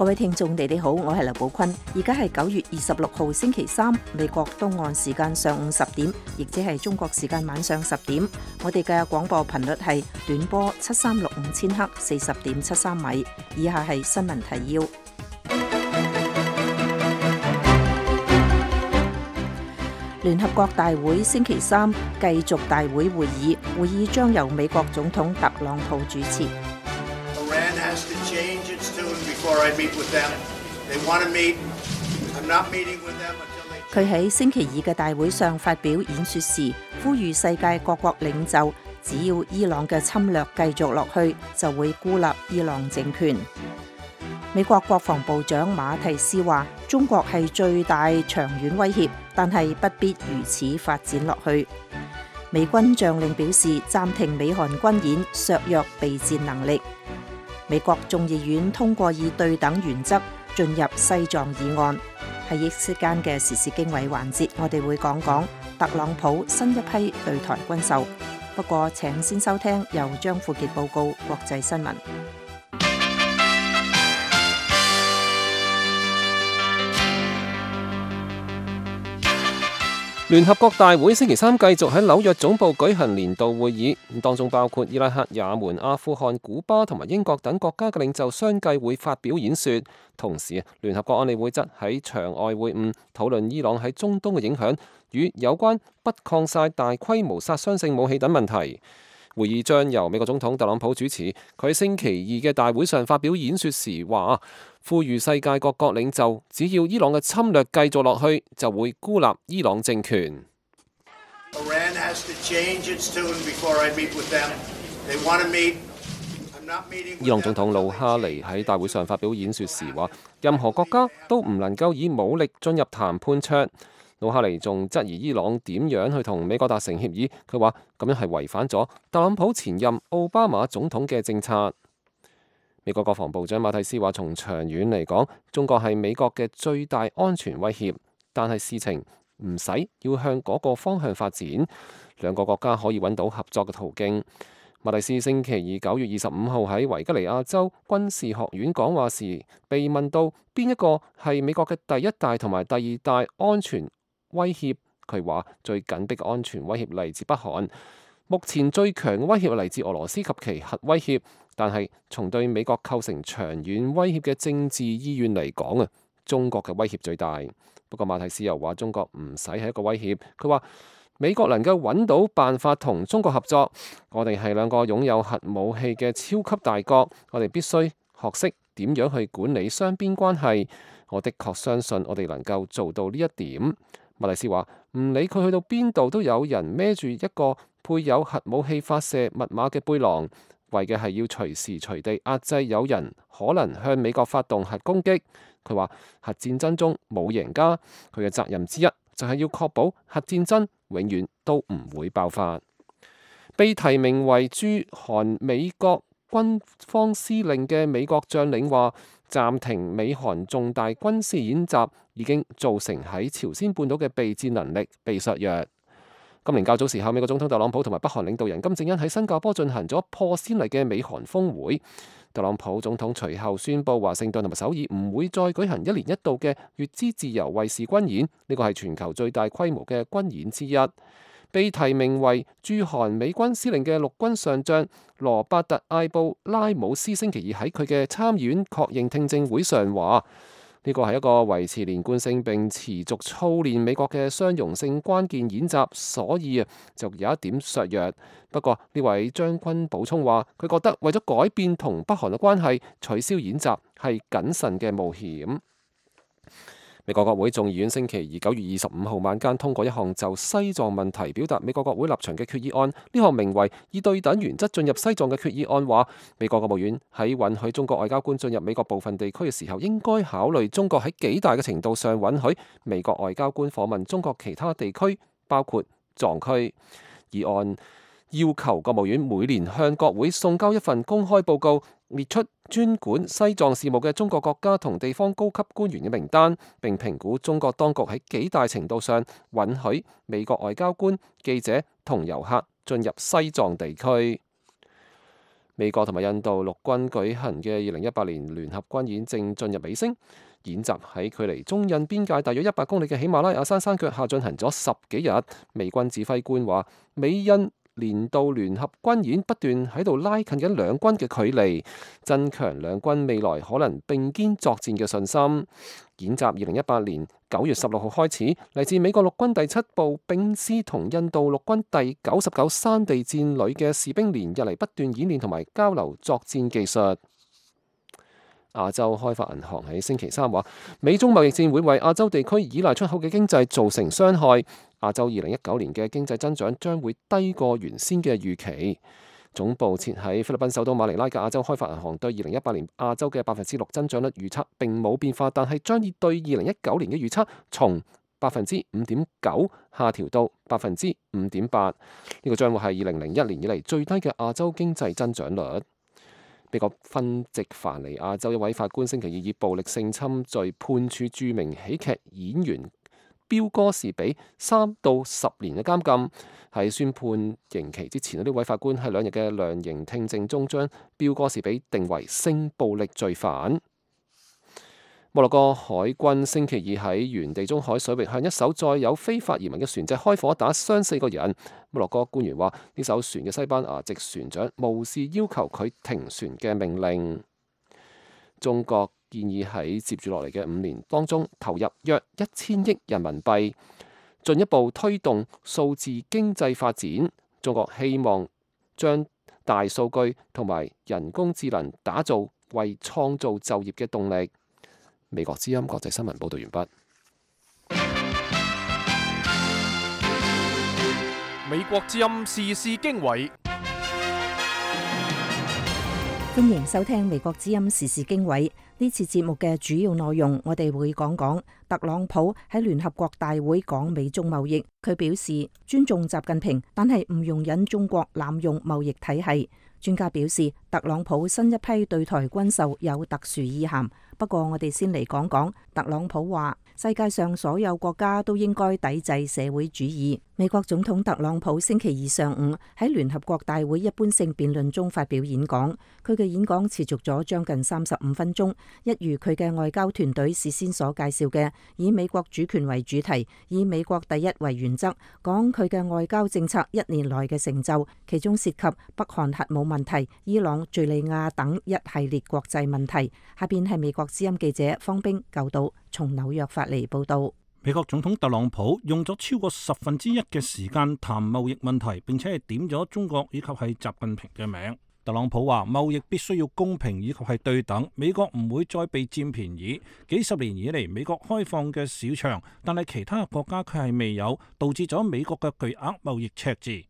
各位聽眾，你哋好，我係劉寶坤。而家係9月26號星期三，美國東岸時間上午10點，亦即係中國時間晚上10點。我哋嘅廣播頻率係短波7365千赫40.73米。以下係新聞提要。聯合國大會星期三繼續大會會議，會議將由美國總統特朗普主持。佢喺星期二嘅大會上發表演說時，呼籲世界各國領袖，只要伊朗嘅侵略繼續落去，就會孤立伊朗政權。美國國防部長馬提斯話，中國係最大長遠威脅，但係不必如此發展落去。美軍將領表示，暫停美韓軍演，削弱備戰能力。美國眾議院通過以對等原則進入西藏議案。喺一息間嘅時事經緯環節，我哋會講講特朗普新一批對台軍售。不過請先收聽由張富傑報告國際新聞。聯合國大會星期三繼續喺紐約總部舉行年度會議，當中包括伊拉克、也門、阿富汗、古巴同埋英國等國家嘅領袖相繼會發表演說。同時，聯合國安理會則喺場外會晤，討論伊朗喺中東嘅影響與有關不擴散大規模殺傷性武器等問題。會議將由美國總統特朗普主持。佢喺星期二嘅大會上發表演說時話，呼籲世界各國領袖，只要伊朗嘅侵略繼續落去，就會孤立伊朗政權。伊朗總統魯哈尼喺大會上發表演說時話，任何國家都唔能夠以武力進入談判桌。魯哈尼仲質疑伊朗點樣去同美國達成協議，佢話咁樣係違反咗特朗普前任奧巴馬總統嘅政策。美國國防部長馬蒂斯話，從長遠嚟講，中國係美國嘅最大安全威脅，但係事情唔使要向嗰個方向發展，兩個國家可以揾到合作嘅途徑。馬蒂斯星期二9月25號喺維吉尼亞州軍事學院講話時，被問到邊一個係美國嘅第一大同埋第二大安全威脅，佢話最緊迫嘅安全威脅嚟自北韓，目前最強嘅威脅嚟自俄羅斯及其核威脅，但係從對美國構成長遠威脅嘅政治意願嚟講啊，中國嘅威脅最大。不過馬蒂斯又話中國唔使係一個威脅，佢話美國能夠揾到辦法同中國合作，我哋係兩個擁有核武器嘅超級大國，我哋必須學識點樣去管理雙邊關係。我的確相信我哋能夠做到呢一點。馬蒂斯話唔理佢去到邊度，都有人孭住一個配有核武器發射密碼嘅背囊，為嘅係要隨時隨地壓制有人可能向美國發動核攻擊。佢話核戰爭中冇贏家，佢嘅責任之一就係要確保核戰爭永遠都唔會爆發。被提名為駐韓美國軍方司令嘅美國將領話，暫停美韓重大軍事演習已經造成喺朝鮮半島嘅備戰能力被削弱。今年較早時候，美國總統特朗普同埋北韓領導人金正恩喺新加坡進行咗破先例嘅美韓峰會。特朗普總統隨後宣布華盛頓同埋首爾唔會再舉行一年一度嘅乙支自由衛士軍演，呢個係全球最大規模嘅軍演之一。被提名為駐韓美軍司令嘅陸軍上將羅伯特艾布拉姆斯星期二喺佢嘅參議院確認聽證會上話，呢個係一個維持連貫性並持續操練美國嘅相容性關鍵演習，所以就有一點削弱。不過呢位將軍補充話，佢覺得為咗改變同北韓嘅關係，取消演習係謹慎嘅冒險。美國國會眾議院星期二9月25號晚間通過一項就西藏問題表達美國國會立場嘅決議案。呢項名為以對等原則進入西藏嘅決議案話，美國國務院喺允許中國外交官進入美國部分地區嘅時候，應該考慮中國喺幾大嘅程度上允許美國外交官訪問中國其他地區，包括藏區。議案要求國務院每年向國會送交一份公開報告，列出專管西藏事務嘅中國國家同地方高級官員嘅名單，並評估中國當局喺幾大程度上允許美國外交官、記者同遊客進入西藏地區。美國同埋印度陸軍舉行嘅2018年聯合軍演正進入尾聲，演習喺距離中印邊界大約100公里嘅喜馬拉雅山山腳下進行咗10幾日。美軍指揮官話，美印年度聯合軍演不斷喺度拉近緊兩軍嘅距離，增強兩軍未來可能並肩作戰嘅信心。演習2018年9月16號開始，嚟自美國陸軍第7部兵師同印度陸軍第99山地戰旅嘅士兵連日嚟不斷演練同埋交流作戰技術。亞洲開發銀行喺星期三話，美中貿易戰會為亞洲地區依賴出口嘅經濟造成傷害。亞洲2019年嘅經濟增長將會低過原先嘅預期。總部設喺菲律賓首都馬尼拉嘅亞洲開發銀行對2018年亞洲嘅6%增長率預測並冇變化，但係將以對2019年嘅預測從5.9%下調到5.8%。呢個將會係2001年以嚟最低嘅亞洲經濟增長率。美國賓夕凡尼亞州一位法官星期二以暴力性侵罪判處著名喜劇演員標哥士比3到10年嘅監禁。喺宣判刑期之前，呢位法官喺2日嘅量刑聽證中將標哥士比定為性暴力罪犯。摩洛哥海軍星期二喺原地中海水域向一艘載有非法移民嘅船隻開火，打傷4個人。摩洛哥官員話，呢艘船嘅西班牙籍船長無視要求佢停船嘅命令。中國建議喺接住落嚟嘅5年當中投入約1000億人民幣，進一步推動數字經濟發展。中國希望將大數據同埋人工智能打造為創造就業嘅動力。美國之音國際新聞報道完畢。美國之音時事經緯，歡迎收聽美國之音時事經緯。呢次節目嘅主要內容，我哋會講講特朗普喺聯合國大會講美中貿易，佢表示尊重習近平，但係唔容忍中國濫用貿易體系。專家表示，特朗普新一批對台軍售有特殊意涵。不過我哋先嚟講講，特朗普話世界上所有國家都應該抵制社會主義。美國總統特朗普星期二上午喺聯合國大會一般性辯論中發表演講，佢嘅演講持續咗將近35分鐘，一如佢嘅外交團隊事先所介紹嘅，以美國主權為主題，以美國第一為原則，講佢嘅外交政策1年來嘅成就，其中涉及北韓核武問題、伊朗、敘利亞等一系列國際問題。下邊係美國之音記者方冰舊島從紐約發嚟報道。美國總統特朗普用咗超過1/10嘅時間談貿易問題，並且係點咗中國以及係習近平嘅名。特朗普話貿易必須要公平以及係對等，美國唔會再被佔便宜。幾十年以嚟，美國開放嘅市場，但係其他國家卻係未有，導致咗美國嘅巨額貿易赤字。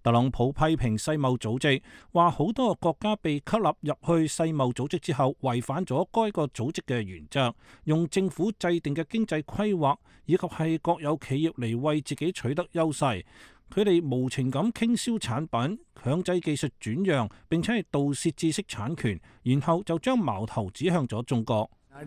特朗普批評世貿組織，話好多個國家被吸納入去世貿組織之後，違反咗該個組織嘅原則，用政府制定嘅經濟規劃以及係國有企業嚟為自己取得優勢。佢哋無情咁傾銷產品，強制技術轉讓，並且係盜竊知識產權，然後就將矛頭指向咗中國。特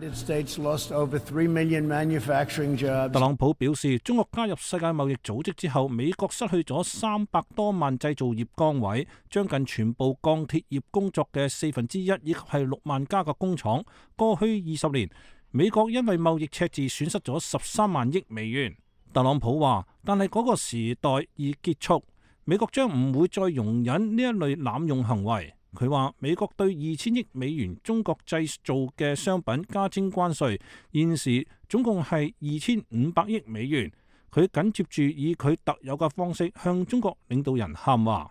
朗普表示，中國加入世界貿易組織之後，美國失去咗300多萬製造業崗位，將近全部鋼鐵業工作嘅1/4，以及係6萬家嘅工廠。過去20年，美國因為貿易赤字損失咗13萬億美元。特朗普話，但係嗰個時代已結束，美國將唔會再容忍呢一類濫用行為。佢話美國對2000億美元中國製造嘅商品加徵關稅，現時總共係2500億美元。佢緊接住以佢特有嘅方式向中國領導人喊話。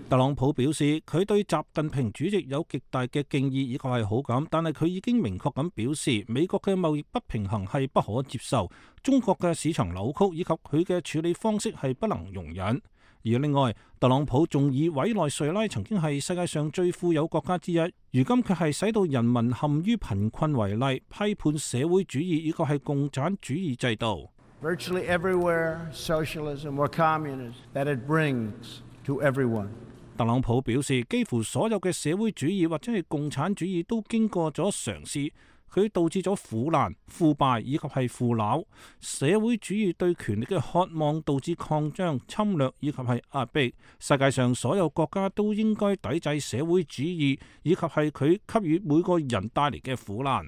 特朗普表示，佢對習近平主席有極大嘅敬意以及係好感，但係佢已經明確咁表示，美國嘅貿易不平衡係不可接受，中國嘅市場扭曲以及佢嘅處理方式係不能容忍。而另外，特朗普仲以委內瑞拉曾經係世界上最富有國家之一，如今卻係使到人民陷於貧困為例，批判社會主義以及係共產主義制度。Virtually everywhere, socialism or communism that it brings to everyone. 特朗普表示，幾乎所有嘅社會主義或者係共產主義都經過咗嘗試，佢導致咗腐爛、腐敗以及係腐朽。社會主義對權力嘅渴望導致擴張、侵略以及係壓迫。世界上所有國家都應該抵制社會主義以及係佢給予每個人帶嚟嘅苦難。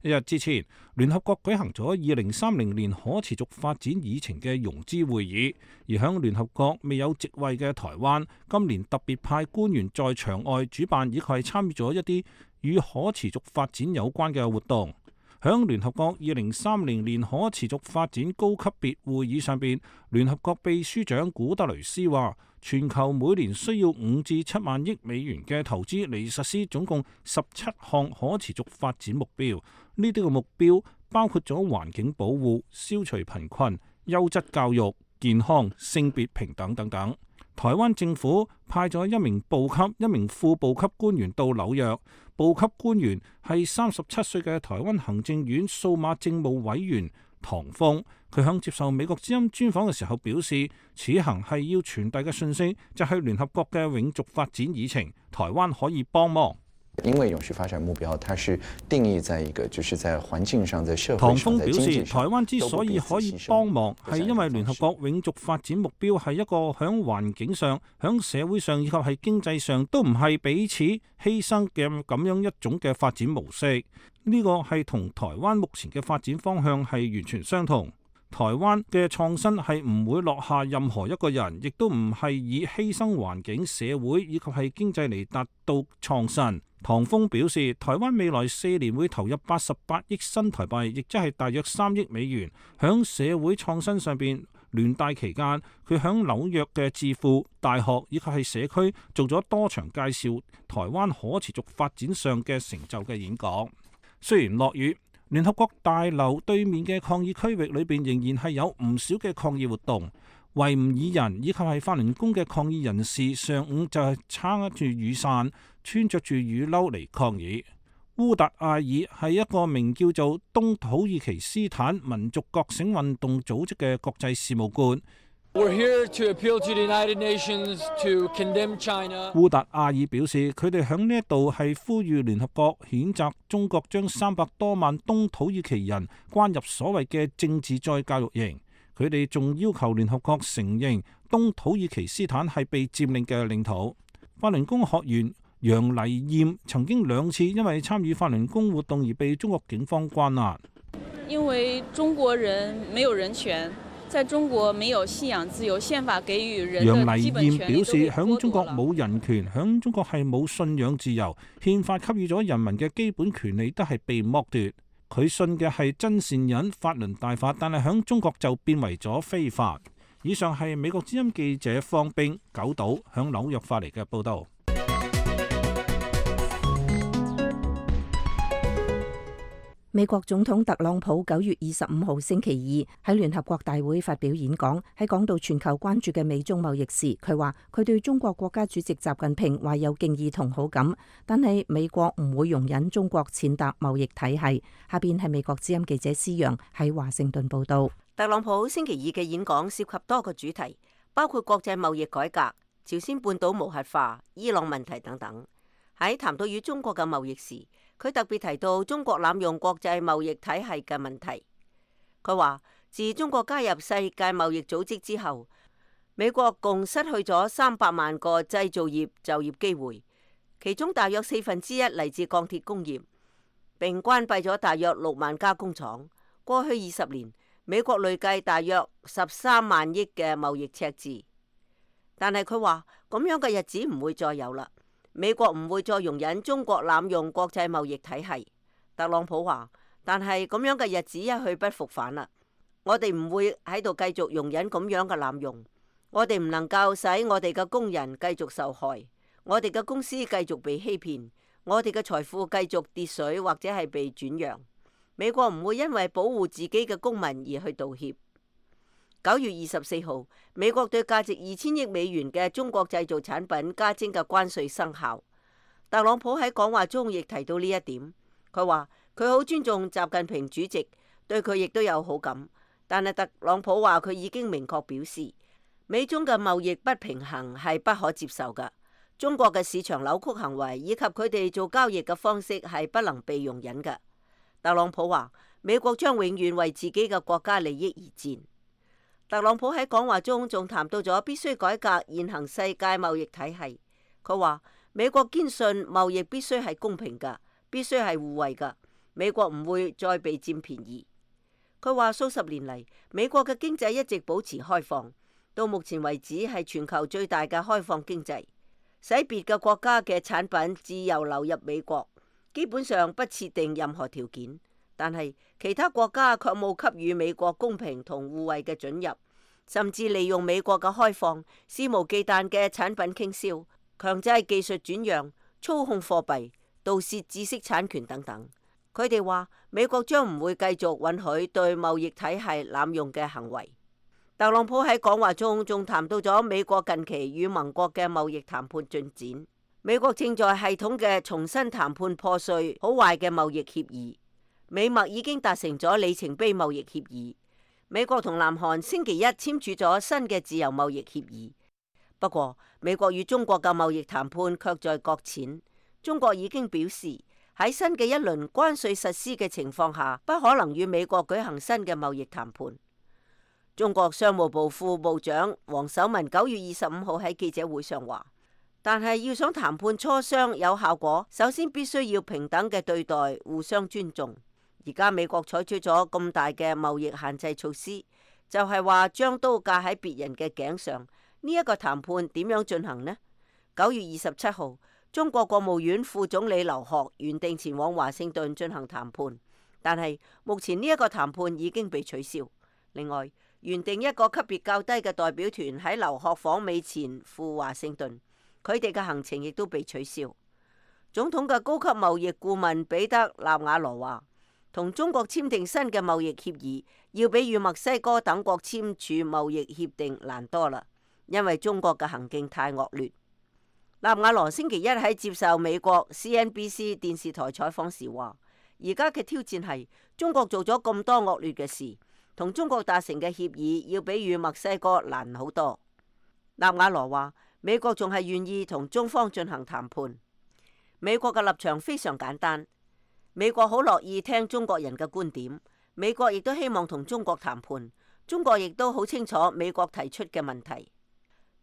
一日之前，聯合國舉行咗2030年可持續發展議程嘅融資會議，而響聯合國未有席位嘅台灣，今年特別派官員在場外主辦，以及係參與咗一啲與可持續發展有關嘅活動。響聯合國2030年可持續發展高級別會議上邊，聯合國秘書長古特雷斯話，全球每年需要5至7萬億美元嘅投資嚟實施總共17項可持續發展目標。呢啲嘅目標包括咗環境保護、消除貧困、優質教育、健康、性別平等等等。台灣政府派咗1名部級、1名副部級官員到紐約。部級官員係37歲嘅台灣行政院數碼政務委員唐鳳。佢響接受美國之音專訪嘅時候表示，此行係要傳遞嘅訊息就係聯合國嘅永續發展議程，台灣可以幫忙。因為永續發展目標，它是定義在一個，就是在環境上、在社會唐上、在經濟上。鳳表示，台灣之所以可以幫忙，係因為聯合國永續發展目標係一個響環境上、響社會上以及係經濟上都唔係彼此犧牲嘅咁樣一種嘅發展模式。呢個係同台灣目前嘅發展方向係完全相同。台灣嘅創新係唔會落下任何一個人，亦都唔係以犧牲環境、社會以及係經濟嚟達到創新。唐峰表示，台灣未來4年會投入88億新台幣，亦即係大約3億美元，響社會創新上邊。聯大期間，佢響紐約嘅智庫、大學以及係社區做咗多場介紹台灣可持續發展上嘅成就嘅演講。雖然落雨，聯合國大樓對面嘅抗議區域裏邊仍然係有唔少嘅抗議活動。維吾爾人以及係法輪功嘅抗議人士上午就係撐住雨傘，穿着住雨褸嚟抗議。烏達艾爾係一個名叫做東土耳其斯坦民族覺醒運動組織嘅國際事務官。烏達艾爾表示，佢哋響呢一度係呼籲聯合國譴責中國將300多萬東土耳其人關入所謂嘅政治再教育營。佢哋仲要求聯合國承認東土耳其斯坦係被佔領嘅領土。法輪功學員楊麗艷曾經2次因為參與法輪功活動而被中國警方關押。因為中國人沒有人權，在中國沒有信仰自由，憲法給予人的基本權利都被剝奪了。楊麗艷表示，響中國冇人權，響中國係冇信仰自由，憲法給予咗人民嘅基本權利都係被剝奪。佢信嘅係真善忍法輪大法，但係響中國就變為咗非法。以上係美國之音記者方冰九島響紐約發嚟嘅報道。美國總統特朗普9月25號星期二喺聯合國大會發表演講，喺講到全球關注嘅美中貿易時，佢話佢對中國國家主席習近平懷有敬意同好感，但係美國唔會容忍中國踐踏貿易體系。下邊係美國之音記者施陽喺華盛頓報道。特朗普星期二嘅演講涉及多個主題，包括國際貿易改革、朝鮮半島無核化、伊朗問題等等。喺談到與中國嘅貿易時，佢特別提到中國濫用國際貿易體系嘅問題。佢話自中國加入世界貿易組織之後，美國共失去咗300萬個製造業就業機會，其中大約1/4嚟自鋼鐵工業，並關閉咗大約6萬家工廠。過去20年，美國累計大約13萬億嘅貿易赤字。但係佢話咁樣嘅日子唔會再有啦。美國唔會再容忍中國濫用國際貿易體系。特朗普話，但係咁樣嘅日子一去不復返啦。我哋唔會喺度繼續容忍咁樣嘅濫用。我哋唔能夠使我哋嘅工人繼續受害，我哋嘅公司繼續被欺騙，我哋嘅財富繼續跌水或者係被轉讓。美國唔會因為保護自己嘅公民而去道歉。9月24號，美國對價值2000億美元嘅中國製造產品加徵嘅關稅生效。特朗普喺講話中亦提到呢一點。佢話佢好尊重習近平主席，對佢亦都有好感。但係特朗普話佢已經明確表示，美中嘅貿易不平衡係不可接受㗎。中國嘅市場扭曲行為以及佢哋做交易嘅方式係不能被容忍㗎。特朗普話美國將永遠為自己嘅國家利益而戰。特朗普喺講話中仲談到咗必須改革現行世界貿易體系。佢話美國堅信貿易必須係公平㗎，必須係互惠㗎，美國唔會再被佔便宜。佢話數十年嚟，美國嘅經濟一直保持開放，到目前為止係全球最大嘅開放經濟，使別嘅國家嘅產品自由流入美國，基本上不設定任何條件。但係其他國家卻冇給予美國公平同互惠嘅准入，甚至利用美國嘅開放，肆無忌憚嘅產品傾銷，強制技術轉讓、操控貨幣、盜竊知識產權等等。佢哋話美國將唔會繼續允許對貿易體系濫用嘅行為。特朗普喺講話中仲談到咗美國近期與盟國嘅貿易談判進展。美國正在系統嘅重新談判破碎好壞嘅貿易協議。美墨已經達成咗里程碑貿易協議。美國同南韓星期一簽署咗新嘅自由貿易協議。不過，美國與中國嘅貿易談判卻在擱淺。中國已經表示，喺新嘅一輪關稅實施嘅情況下，不可能與美國舉行新嘅貿易談判。中國商務部副部長王守文9月25號喺記者會上話，但係要想談判磋商有效果，首先必須要平等嘅對待，互相尊重。而家美國採取咗咁大嘅貿易限制措施，就係話將刀架喺別人嘅頸上。呢一個談判點樣進行呢？9月27號，中國國務院副總理劉鶴原定前往華盛頓進行談判，但係目前呢一個談判已經被取消。另外，原定一個級別較低嘅代表團喺劉鶴訪美前赴華盛頓，佢哋嘅行程亦都被取消。總統嘅高級貿易顧問彼得納瓦羅話，同中國簽訂新嘅貿易協議，要比與墨西哥等國簽署貿易協定難多啦，因為中國嘅行徑太惡劣。納瓦羅星期一喺接受美國 CNBC 電視台採訪時話，而家嘅挑戰係中國做咗咁多惡劣嘅事，同中國達成嘅協議要比與墨西哥難好多。納瓦羅話，美國仲係願意同中方進行談判。美國嘅立場非常簡單，美國好樂意聽中國人嘅觀點，美國亦都希望同中國談判，中國亦都好清楚美國提出嘅問題。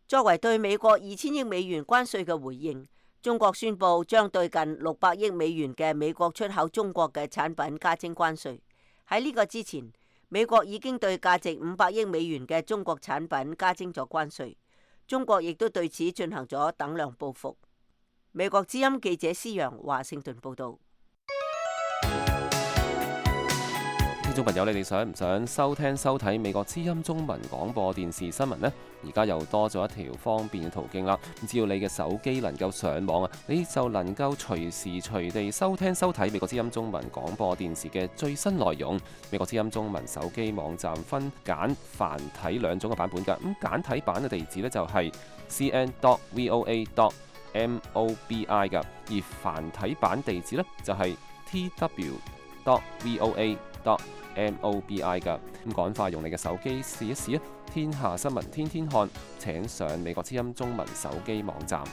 作為對美國2000億美元關稅嘅回應，中國宣布將對近600億美元嘅美國出口中國嘅產品加徵關稅。喺呢個之前，美國已經對價值500億美元嘅中國產品加徵咗關稅，中國亦都對此進行咗等量報復。美國之音記者施陽華盛頓報道。聽眾朋友，你哋想唔想收聽收睇美國之音中文廣播電視新聞呢？而家又多咗一條方便嘅途徑啦！只要你嘅手機能夠上網啊，你就能夠隨時隨地收聽收睇美國之音中文廣播電視嘅最新內容。美國之音中文手機網站分簡繁體兩種嘅版本㗎。咁簡體版嘅地址呢，就係 cn.voa.mobi 㗎，而繁體版地址呢，就係 tw.voa.mobi 㗎。咁趕快用你嘅手機試一試啊！天下新聞天天看，請上美國之音中文手機網站。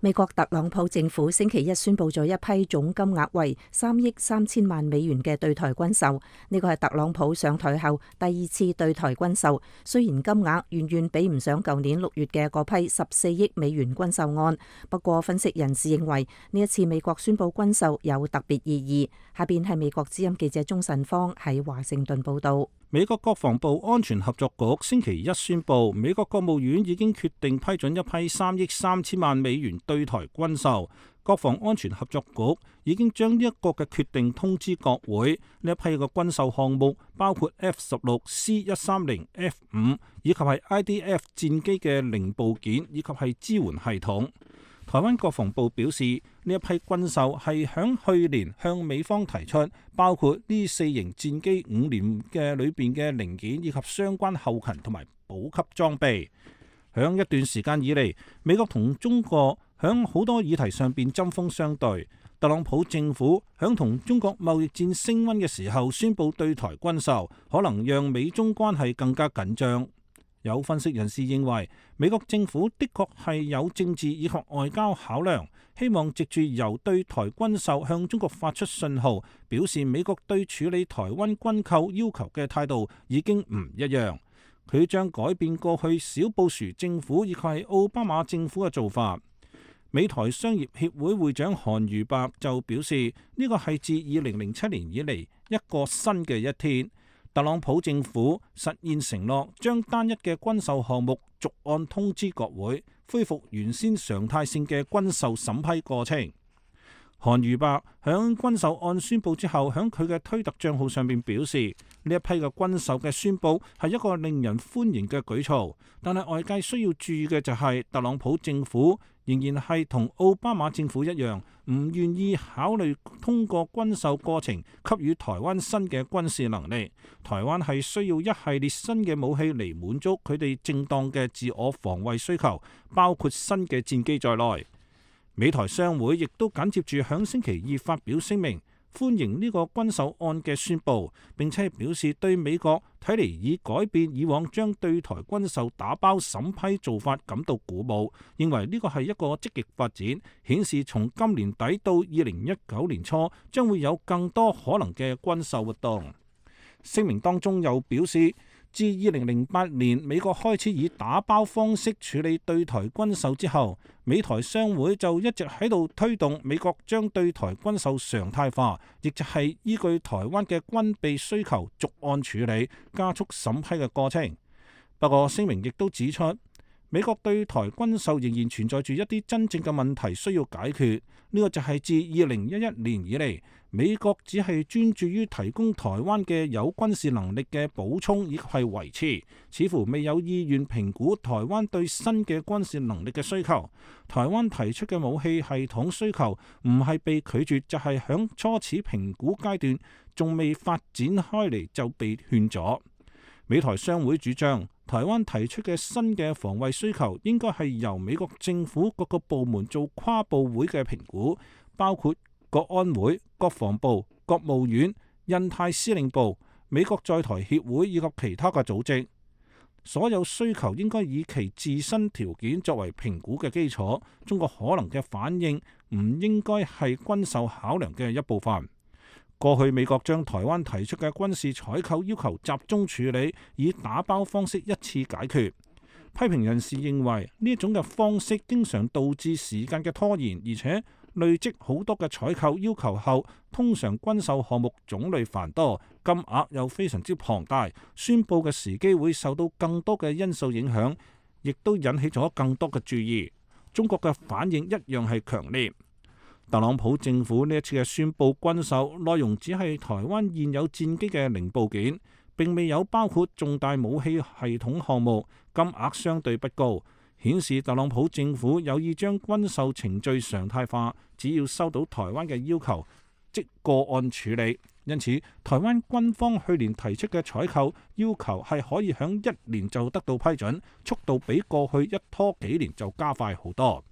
美國特朗普政府星期一宣布咗一批總金額為3億3千萬美元嘅對台軍售，呢個係特朗普上台後第2次對台軍售。雖然金額遠遠比唔上舊年6月嘅嗰批14億美元軍售案，不過分析人士認為呢一次美國宣布軍售有特別意義。下邊係美國之音記者鍾慎芳喺華盛頓報道。美國國防部安全合作局星期一宣布，美國國務院已經決定批准一批3億3千萬美元對台軍售。國防安全合作局已經將呢一個嘅決定通知國會。呢一批嘅軍售項目包括 F-16、C-130、F-5 以及係 IDF 戰機嘅零部件以及係支援系統。台灣國防部表示，呢一批軍售係響去年向美方提出，包括呢4型戰機5年嘅裏邊嘅零件以及相關後勤同埋補給裝備。響一段時間以嚟，美國同中國響好多議題上邊針鋒相對。特朗普政府響同中國貿易戰升溫嘅時候宣布對台軍售，可能讓美中關係更加緊張。有分析人士認為，美國政府的確係有政治以及外交考量，希望藉住由對台軍售向中國發出信號，表示美國對處理台灣軍購要求嘅態度已經唔一樣。佢將改變過去小布殊政府以及係奧巴馬政府嘅做法。美台商業協會會長韓如白就表示，呢個係自2007年以嚟一個新嘅一天。特朗普政府實現承諾，將單一嘅軍售項目逐案通知國會，恢復原先常態性嘅軍售審批過程。韓如白響軍售案宣布之後，響佢嘅推特賬號上面表示，呢一批嘅軍售嘅宣布係一個令人歡迎嘅舉措，但係外界需要注意嘅就係特朗普政府仍然係同奧巴馬政府一樣，唔願意考慮通過軍售過程給予台灣新嘅軍事能力。台灣係需要一系列新嘅武器嚟滿足佢哋正當嘅自我防衛需求，包括新嘅戰機在內。美台商會亦都緊接住響星期二發表聲明，歡迎呢個軍售案嘅宣佈，並且表示對美國睇嚟已改變以往將對台軍售打包審批做法感到鼓舞，認為呢個係一個積極發展，顯示從今年底到2019年初將會有更多可能嘅軍售活動。聲明當中又表示，自2008年美國開始以打包方式處理對台軍售之後，美台商會就一直喺度推動美國將對台軍售常態化，亦就係依據台灣嘅軍備需求逐案處理，加速審批嘅過程。不過聲明亦都指出，美國對台軍售仍然存在住一啲真正嘅問題需要解決。呢個就係自2011年以嚟，美國只係專注於提供台灣嘅有軍事能力嘅補充以及係維持，似乎未有意願評估台灣對新嘅軍事能力嘅需求。台灣提出嘅武器系統需求唔係被拒絕，就係響初始評估階段仲未發展開嚟就被勸阻。美台商會主張，台灣提出嘅新嘅防衛需求應該係由美國政府各個部門做跨部會嘅評估，包括國安會、國防部、國務院、印太司令部、美國在台協會以及其他嘅組織。所有需求應該以其自身條件作為評估嘅基礎。中國可能嘅反應唔應該係軍售考量嘅一部分。過去美國將台灣提出嘅軍事採購要求集中處理，以打包方式一次解決。批評人士認為呢種嘅方式經常導致時間嘅拖延，而且累積好多嘅採購要求後，通常軍售項目種類繁多，金額又非常之龐大，宣佈嘅時機會受到更多嘅因素影響，亦都引起咗更多嘅注意。中國嘅反應一樣係強烈。特朗普政府呢一次嘅宣佈軍售內容只係台灣現有戰機嘅零部件，並未有包括重大武器系統項目，金額相對不高，顯示特朗普政府有意將軍售程序常態化，只要收到台灣嘅要求即個案處理。因此，台灣軍方去年提出嘅採購要求係可以響1年就得到批准，速度比過去一拖幾年就加快好多。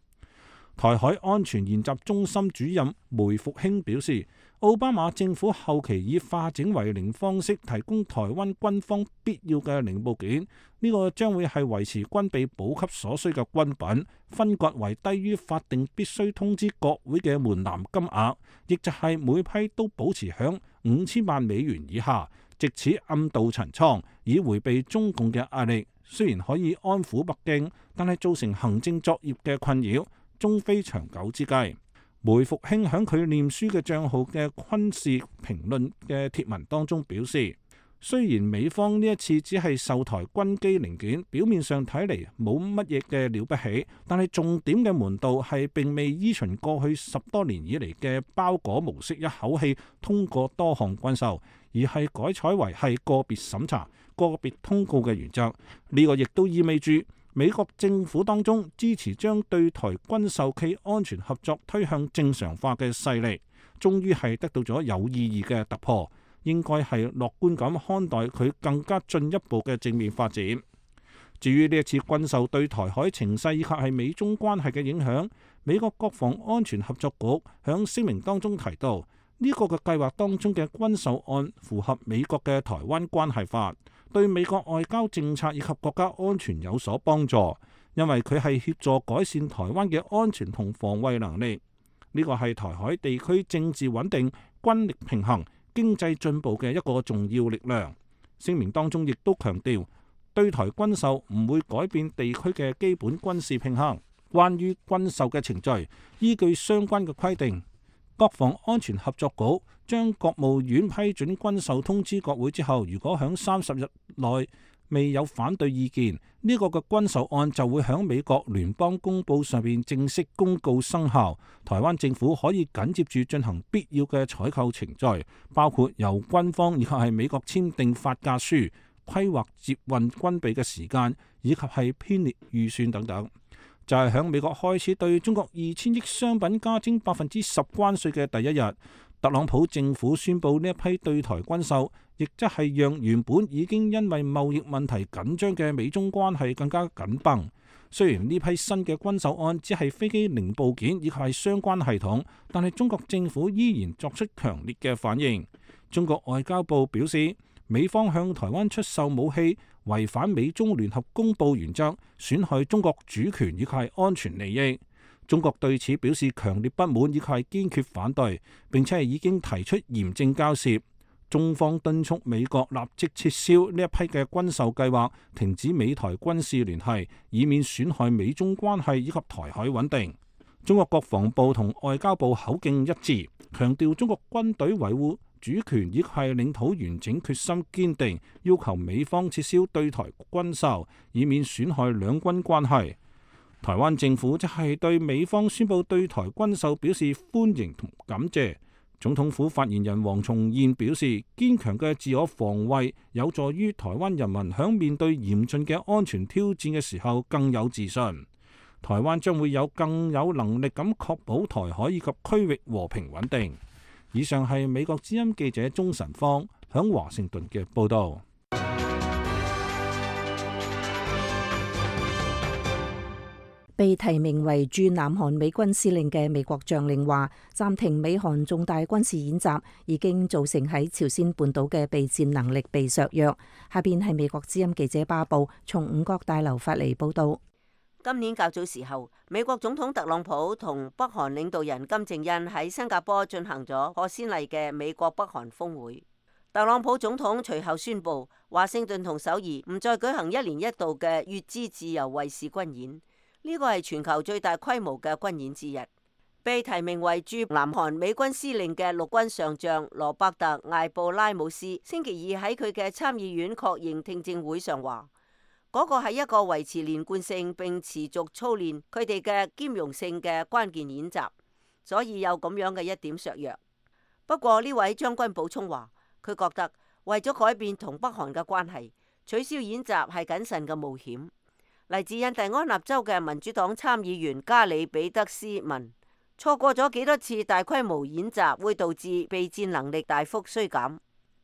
台海安全研習中心主任梅復興表示，奧巴馬政府後期以化整為零方式提供台灣軍方必要嘅零部件，呢個將會係維持軍備補給所需嘅軍品，分割為低於法定必須通知國會嘅門檻金額，亦就係每批都保持響5000萬美元以下，藉此暗度陳倉，以迴避中共嘅壓力。雖然可以安撫北京，但係造成行政作業嘅困擾，終非長久之計。梅復興喺佢臉書嘅帳號嘅軍事評論嘅貼文當中表示，雖然美方呢一次只係售台軍機零件，表面上睇嚟冇乜嘢嘅了不起，但係重點嘅門道係並未依循過去10多年以嚟嘅包裹模式，一口氣通過多項軍售，而係改採為係個別審查、個別通告嘅原則。呢個亦都意味住美國政府當中支持將對台軍售暨安全合作推向正常化嘅勢力，終於係得到咗有意義嘅突破，應該係樂觀咁看待佢更加進一步嘅正面發展。至於呢一次軍售對台海情勢以及係美中關係嘅影響，美國國防安全合作局響聲明當中提到，呢個嘅計劃當中嘅軍售案符合美國嘅台灣關係法，對美國外交政策以及國家安全有所幫助，因為佢係協助改善台灣嘅安全同防衛能力。呢個係台海地區政治穩定、軍力平衡、經濟進步嘅一個重要力量。聲明當中亦都強調，對台軍售唔會改變地區嘅基本軍事平衡。關於軍售嘅程序，依據相關嘅規定，國防安全合作局將國務院批准軍售通知國會之後，如果響30日內未有反對意見，呢個嘅軍售案就會響美國聯邦公報上面正式公告生效。台灣政府可以緊接住進行必要嘅採購程序，包括由軍方以及係美國簽訂發價書、規劃接運軍備嘅時間，以及係編列預算等等。就係響美國開始對中國2000億商品加徵10%關稅嘅第一日，特朗普政府宣布呢一批對台軍售，亦即係讓原本已經因為貿易問題緊張嘅美中關係更加緊繃。雖然呢批新嘅軍售案只係飛機零部件以及係相關系統，但係中國政府依然作出強烈嘅反應。中國外交部表示，美方向台灣出售武器，違反美中聯合公報原則，損害中國主權以及係安全利益。中國對此表示強烈不滿以及係堅決反對，並且係已經提出嚴正交涉。中方敦促美國立即撤銷呢一批嘅軍售計劃，停止美台軍事聯繫，以免損害美中關係以及台海穩定。中國國防部同外交部口徑一致，強調中國軍隊維護主權以及係領土完整決心堅定，要求美方撤銷對台軍售，以免損害兩軍關係。台灣政府則係對美方宣布對台軍售表示歡迎同感謝。總統府發言人黃重諺表示，堅強嘅自我防衛有助於台灣人民響面對嚴峻嘅安全挑戰嘅時候更有自信。台灣將會有更有能力咁確保台海以及區域和平穩定。以上係美國之音記者鍾晨芳響華盛頓嘅報道。被提名為駐南韓美軍司令嘅美國將領話，暫停美韓重大軍事演習已經造成喺朝鮮半島嘅備戰能力被削弱。下邊係美國之音記者巴布從五角大樓發嚟報道。今年較早時候，美國總統特朗普同北韓領導人金正恩喺新加坡進行咗破先例嘅美國北韓峰會。特朗普總統隨後宣布，華盛頓同首爾唔再舉行一年一度嘅乙支自由衛士軍演。呢個係全球最大規模嘅軍演之一。被提名為駐南韓美軍司令嘅陸軍上將羅伯特·艾布拉姆斯星期二喺佢嘅參議院確認聽證會上話，嗰個係一個維持連貫性並持續操練佢哋嘅兼容性嘅關鍵演習，所以有咁樣嘅一點削弱。不過呢位將軍補充話，佢覺得為咗改變同北韓嘅關係，取消演習係謹慎嘅冒險。嚟自印第安納州嘅民主黨參議員加里比德斯問，錯過咗幾多次大規模演習會導致備戰能力大幅衰減？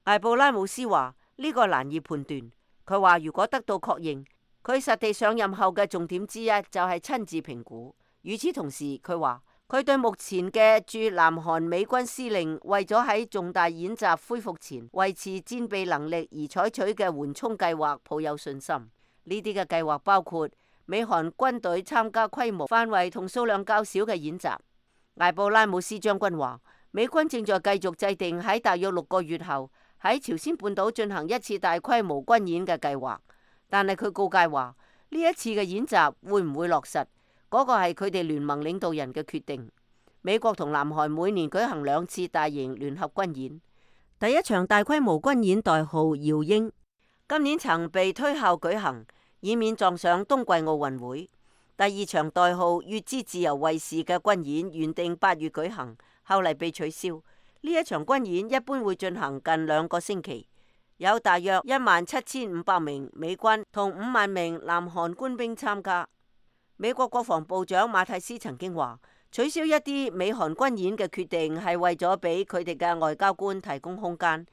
艾布拉姆斯話呢個難以判斷。佢話如果得到確認，佢實地上任後嘅重點之一就係親自評估。與此同時，佢話佢對目前嘅駐南韓美軍司令為咗喺重大演習恢復前維持戰備能力而採取嘅緩衝計劃抱有信心。呢啲嘅計劃包括美韓軍隊參加規模、範圍同數量較少嘅演習。艾布拉姆斯將軍話，美軍正在繼續制定喺大約6個月後喺朝鮮半島進行一次大規模軍演嘅計劃，但係佢告誡話呢一次嘅演習會唔會落實，嗰個係佢哋聯盟領導人嘅決定。美國同南韓每年舉行2次大型聯合軍演，第一場大規模軍演代號耀英，今年曾被推後舉行，以免撞上冬季奧運會。第二場代號乙支自由衛士嘅軍演原定8月舉行，後嚟被取消。呢一場軍演一般會進行近2個星期，有大約17500名美軍同5萬名南韓官兵參加。美國國防部長馬蒂斯曾經話，取消一啲美韓軍演嘅決定係為咗俾佢哋嘅外交官提供空間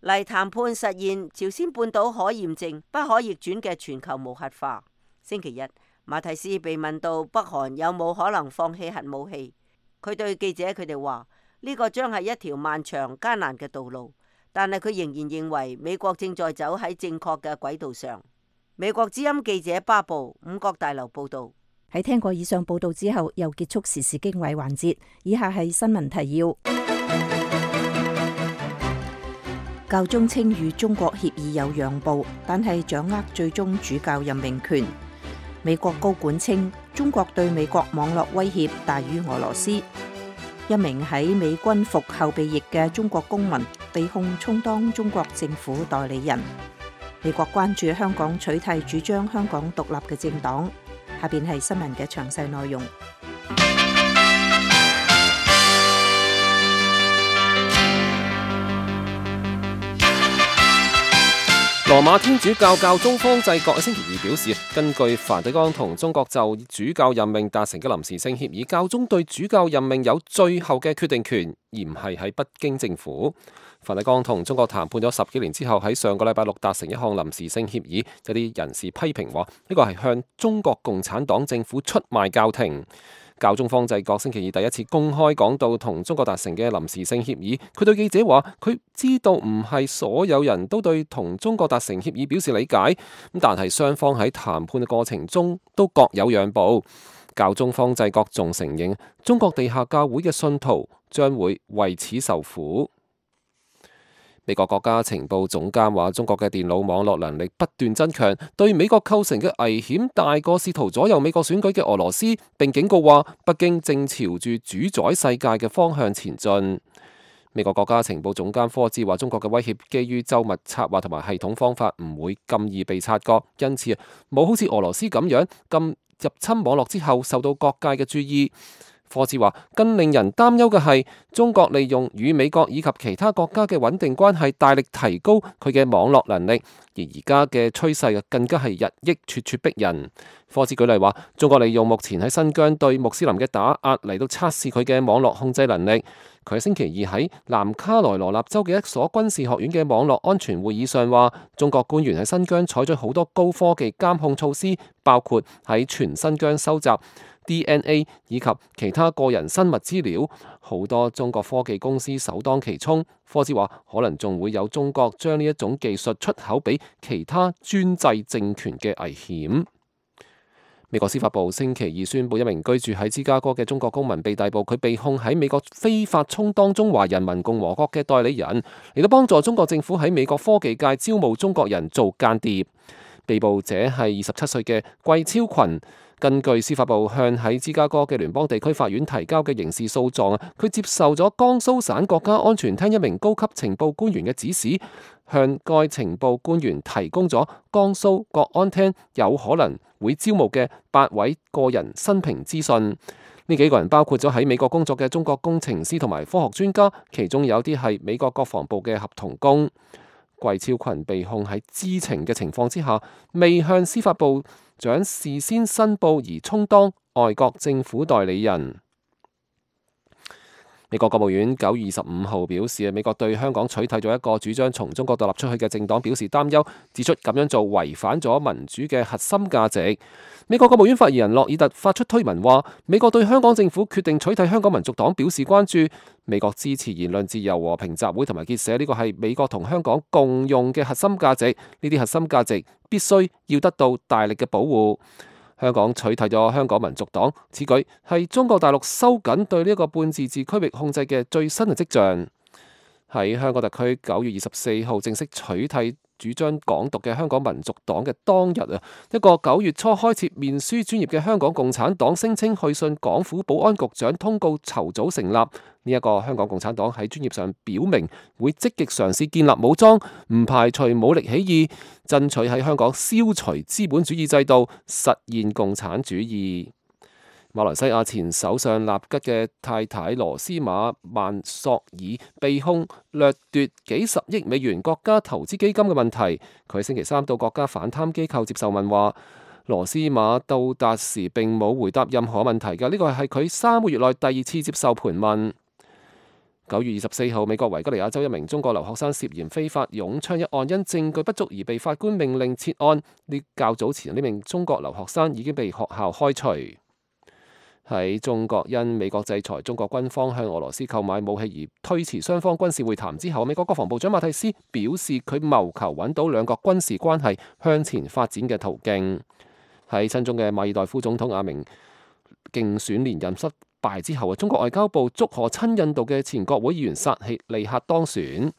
嚟談判實現朝鮮半島可驗證、不可逆轉嘅全球無核化。星期日，馬蒂斯被問到北韓有冇可能放棄核武器，佢對記者佢哋話：呢個將係一條漫長艱難嘅道路，但係佢仍然認為美國正在走喺正確嘅軌道上。美國之音記者巴布五角大樓報道。喺聽過以上報道之後，又結束時事經緯環節。以下係新聞提要。教宗稱與中國協議有讓步，但係掌握最終主教任命權。美國高管稱中國對美國網絡威脅大於俄羅斯。一名喺美軍服後備役嘅中國公民被控充當中國政府代理人。美國關注香港取締主張香港獨立嘅政黨。下邊係新聞嘅詳細內容。羅馬天主教教宗方濟各喺星期二表示，根據梵蒂岡同中國就主教任命達成嘅臨時性協議，教宗對主教任命有最後嘅決定權，而唔係喺北京政府。梵蒂岡同中國談判咗10幾年之後，喺上個禮拜六達成一項臨時性協議，有啲人士批評話呢個係向中國共產黨政府出賣教廷。教宗方濟各星期二第一次公開講到同中國達成嘅臨時性協議，佢對記者話：佢知道唔係所有人都對同中國達成協議表示理解，咁但係雙方喺談判嘅過程中都各有讓步。教宗方濟各仲承認，中國地下教會嘅信徒將會為此受苦。美國國家情報總監話，中國嘅電腦網絡能力不斷增強，對美國構成嘅危險大過試圖左右美國選舉嘅俄羅斯，並警告話北京正朝住主宰世界嘅方向前進。美國國家情報總監科茲話，中國嘅威脅基於周密策劃同埋系統方法，唔會咁易被察覺，因此冇好似俄羅斯咁樣咁入侵網絡之後受到各界嘅注意。科茲話，更令人擔憂嘅係中國利用與美國以及其他國家嘅穩定關係，大力提高佢嘅網絡能力，而家嘅趨勢更加係日益咄咄逼人。科茲舉例話，中國利用目前喺新疆對穆斯林嘅打壓嚟到測試佢嘅網絡控制能力。佢喺星期二喺南卡羅來納州嘅一所軍事學院嘅網絡安全會議上話，中國官員喺新疆採取好多高科技監控措施，包括喺全新疆收集DNA 以及其他個人生物資料，好多中國科技公司首當其衝。科茲話，可能仲會有中國將呢一種技術出口俾其他專制政權嘅危險。美國司法部星期二宣布，一名居住喺芝加哥嘅中國公民被逮捕，佢被控喺美國非法充當中華人民共和國嘅代理人，嚟到幫助中國政府喺美國科技界招募中國人做間諜。被捕者係27歲嘅季超群。根據司法部向喺芝加哥嘅聯邦地區法院提交嘅刑事訴狀，佢接受咗江蘇省國家安全廳一名高級情報官員嘅指使，向該情報官員提供咗江蘇國安廳有可能會招募嘅8位個人生平資訊。呢幾個人包括咗喺美國工作嘅中國工程師同埋科學專家，其中有啲係美國國防部嘅合同工。季超群被控喺知情嘅情況之下，未向司法部長事先申報而充當外國政府代理人。美國國務院9月25號表示，美國對香港取締咗一個主張從中國獨立出去嘅政黨表示擔憂，指出咁樣做違反咗民主嘅核心價值。美國國務院發言人洛爾特發出推文話，美國對香港政府決定取締香港民族黨表示關注。美國支持言論自由、和平集會同埋結社，呢個係美國同香港共用嘅核心價值。呢啲核心價值必須要得到大力嘅保護。香港取締咗香港民族黨，此舉係中國大陸收緊對呢一個半自治區域控制嘅最新嘅跡象。喺香港特區9月24號正式取締主張港獨嘅香港民族黨嘅當日啊，一個9月初開設面書專頁嘅香港共產黨聲稱去信港府保安局長通告籌組成立。呢一個香港共產黨喺專頁上表明會積極嘗試建立武裝，唔排除武力起義，爭取喺香港消除資本主義制度，實現共產主義。馬來西亞前首相納吉嘅太太羅斯馬曼索爾被控掠奪幾十億美元國家投資基金嘅問題，佢星期三到國家反貪機構接受問話。羅斯馬到達時並冇回答任何問題嘅，呢個係佢3個月內第2次接受盤問。9月24號，美國維吉尼亞州一名中國留學生涉嫌非法擁槍一案，因證據不足而被法官命令撤案。較早前呢名中國留學生已經被學校開除。喺中國因美國制裁中國軍方向俄羅斯購買武器而推遲雙方軍事會談之後，美國國防部長馬蒂斯表示佢謀求揾到兩國軍事關係向前發展嘅途徑。喺親中嘅馬爾代夫總統阿明競選連任失敗之後，中國外交部祝賀親印度嘅前國會議員薩希利克當選。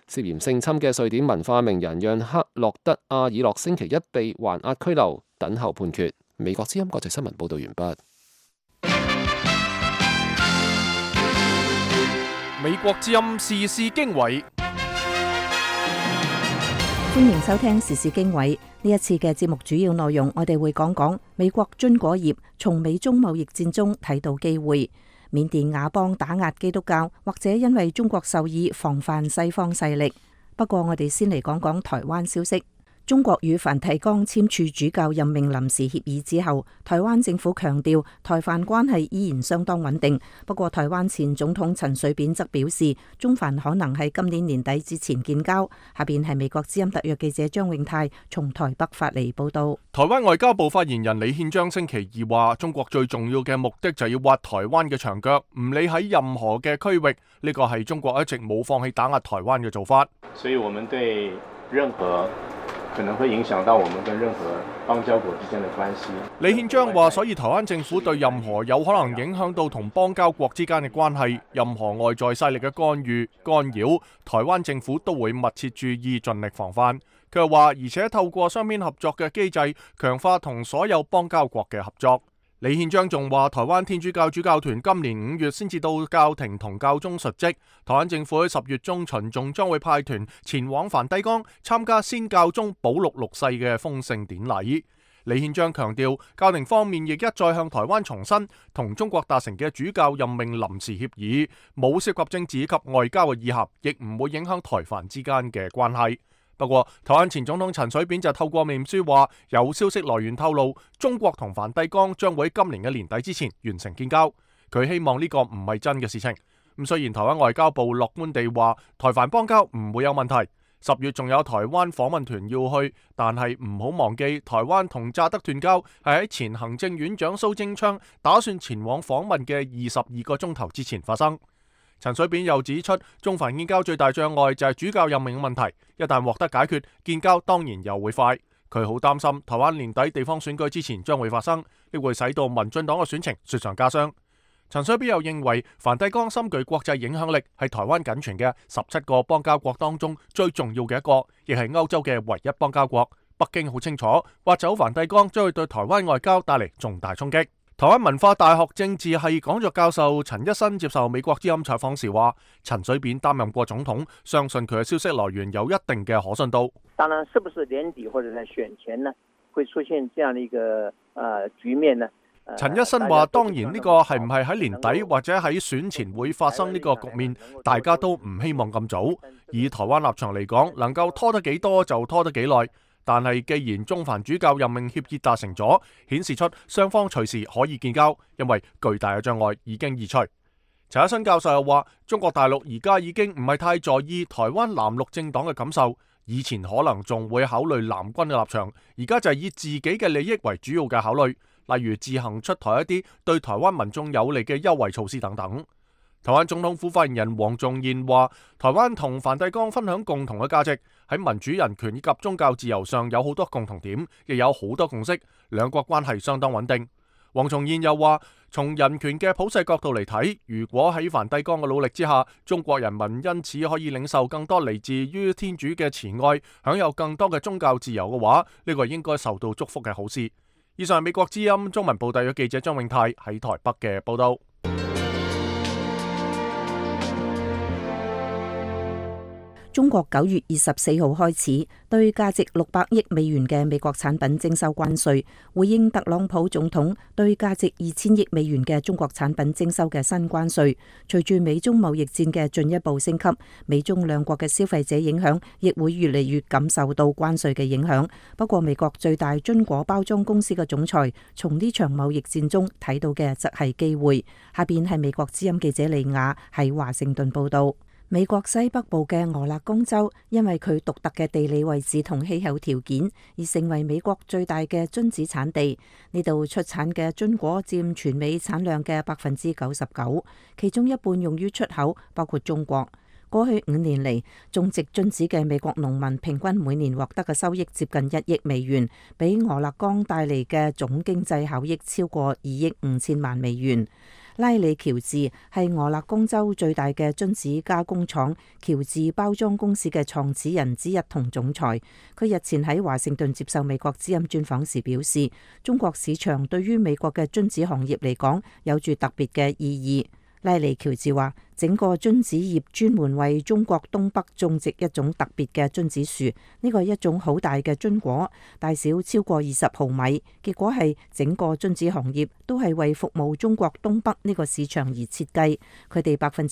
涉嫌性侵嘅瑞典文化名人讓克洛德阿爾諾星期一被還押拘留，等候判決。美國之音國際新聞報道完畢。美國之音時事經緯，歡迎收聽時事經緯。呢一次嘅節目主要內容，我哋會講講美國樽果業從美中貿易戰中睇到機會，緬甸佤邦打壓基督教，或者因為中國授意防範西方勢力。不過我哋先嚟講講台灣消息。中國與梵蒂岡簽署主教任命臨時協議之後，台灣政府強調台梵關係依然相當穩定。不過台灣前總統陳水扁則表示，中梵可能喺今年年底之前建交。下邊係美國之音特約記者張永泰從台北發嚟報道。台灣外交部發言人李憲章星期二話，中國最重要嘅目的就要挖台灣嘅牆腳，唔理喺任何嘅區域，呢個係中國一直冇放棄打壓台灣嘅做法。所以我們對任何可能會影響到我們跟任何邦交國之間的關係。李憲章話，所以台灣政府對任何有可能影響到同邦交國之間嘅關係，任何外在勢力嘅干預、干擾，台灣政府都會密切注意，盡力防範。佢又話，而且透過雙邊合作嘅機制，強化同所有邦交國嘅合作。李憲章仲話，台灣天主教主教團今年5月先至到教廷同教宗述職，台灣政府喺10月中旬仲將會派團前往梵蒂岡參加先教宗保祿6世嘅封聖典禮。李憲章強調，教廷方面亦一再向台灣重申同中國達成嘅主教任命臨時協議，冇涉及政治及外交嘅意涵，亦唔會影響台梵之間嘅關係。不過，台灣前總統陳水扁就透過面書話，有消息來源透露，中國同梵蒂岡將會喺今年嘅年底之前完成建交。佢希望呢個唔係真嘅事情。咁雖然台灣外交部樂觀地話，台梵邦交唔會有問題。10月仲有台灣訪問團要去，但係唔好忘記，台灣同乍得斷交係喺前行政院長蘇貞昌打算前往訪問嘅22個鐘頭之前發生。陳水扁又指出，中梵建交最大障礙就係主教任命問題，一旦獲得解決，建交當然又會快。佢好擔心台灣年底地方選舉之前將會發生，呢會使到民進黨嘅選情雪上加霜。陳水扁又認為，梵蒂岡深具國際影響力，係台灣僅存嘅17個邦交國當中最重要嘅一個，亦係歐洲嘅唯一邦交國。北京好清楚，挖走梵蒂岡將會對台灣外交帶嚟重大衝擊。台灣文化大學政治系講座教授陳一新接受美國之音採訪時話，陳水扁擔任過總統，相信佢嘅消息來源有一定嘅可信度。當然，是不是年底或者在選前呢，會出現這樣的一個局面呢？陳一新話，當然呢個係唔係喺年底或者喺選前會發生呢個局面，大家都唔希望咁早。以台灣立場嚟講，能夠拖得幾多就拖得幾耐。但係既然中梵主教任命協議達成咗，顯示出雙方隨時可以建交，因為巨大嘅障礙已經移除。陳一新教授又話，中國大陸而家已經唔係太在意台灣藍綠政黨嘅感受，以前可能仲會考慮藍軍嘅立場，而家就係以自己嘅利益為主要嘅考慮，例如自行出台一啲對台灣民眾有利嘅優惠措施等等。台灣總統府發言人黃仲彥話，台灣同梵蒂岡分享共同嘅價值，喺民主人權以及宗教自由上有好多共同點，亦有好多共識，兩國關係相當穩定。黃仲彥又話，從人權嘅普世角度嚟睇，如果喺梵蒂岡嘅努力之下，中國人民因此可以領受更多嚟自於天主嘅慈愛，享有更多嘅宗教自由嘅話，呢個應該受到祝福嘅好事。以上係美國之音中文部特約記者張永泰喺台北嘅報道。中國9月24號開始對價值600億美元嘅美國產品徵收關稅，回應特朗普總統對價值2000億美元嘅中國產品徵收嘅新關稅。隨住美中貿易戰嘅進一步升級，美中兩國嘅消費者影響亦會越嚟越感受到關稅嘅影響。不過，美國最大樽果包裝公司嘅總裁從呢場貿易戰中睇到嘅則係機會。下邊係美國之音記者李雅喺華盛頓報道。美國西北部嘅俄勒岡州，因為佢獨特嘅地理位置同氣候條件，而成為美國最大嘅榛子產地。呢度出產嘅榛果佔全美產量嘅99%，其中一半用於出口，包括中國。過去5年嚟，種植榛子嘅美國農民平均每年獲得嘅收益接近1億美元，比俄勒岡帶嚟嘅總經濟效益超過2億5千萬美元。拉里喬治係俄勒岡州最大嘅榛子加工廠喬治包裝公司嘅創始人之一同總裁。佢日前喺華盛頓接受美國之音專訪時表示，中國市場對於美國嘅榛子行業嚟講有住特別嘅意義。拉里喬治話，整個榛子業專門為中國東北種植一種特別嘅榛子樹，呢個係一種好大嘅榛果，大小超過20毫米。結果係整個榛子行業都係為服務中國東北呢個市場而設計。佢哋60%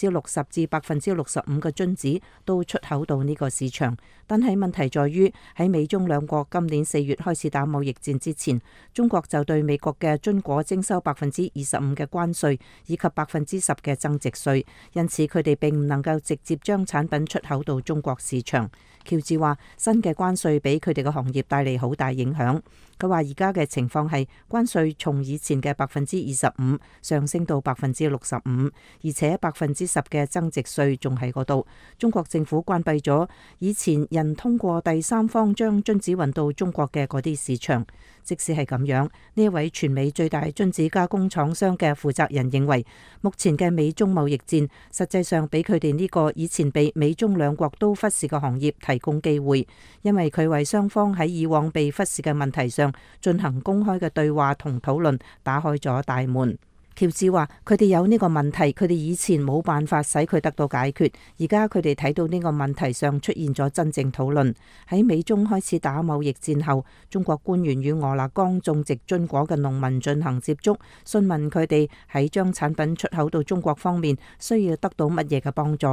至65%嘅榛子都出口到呢個市場，但係問題在於喺美中兩國今年4月開始打貿易戰之前，中國就對美國嘅榛果徵收25%嘅關稅以及10%嘅增值稅。因此佢哋並唔能夠直接將產品出口到中國市場。喬治話，新嘅關稅俾佢哋嘅行業帶嚟好大影響。佢話而家嘅情況係關稅從以前嘅25%上升到65%，而且10%嘅增值稅仲喺嗰度。中國政府關閉咗以前人通過第三方將榛子運到中國嘅嗰啲市場。即使係咁樣，呢一位全美最大榛子加工廠商嘅負責人認為，目前嘅美中貿易戰實際上俾佢哋呢個以前被美中兩國都忽視嘅行業提供機會，因為佢為雙方喺以往被忽視嘅問題上進行公開嘅對話同討論打開咗大門。喬治話，佢哋有呢個問題，佢哋以前冇辦法使佢得到解決，而家佢哋睇到呢個問題上出現咗真正討論。喺美中開始打貿易戰後，中國官員與俄勒岡種植榛果嘅農民進行接觸，詢問佢哋喺將產品出口到中國方面需要得到乜嘢嘅幫助。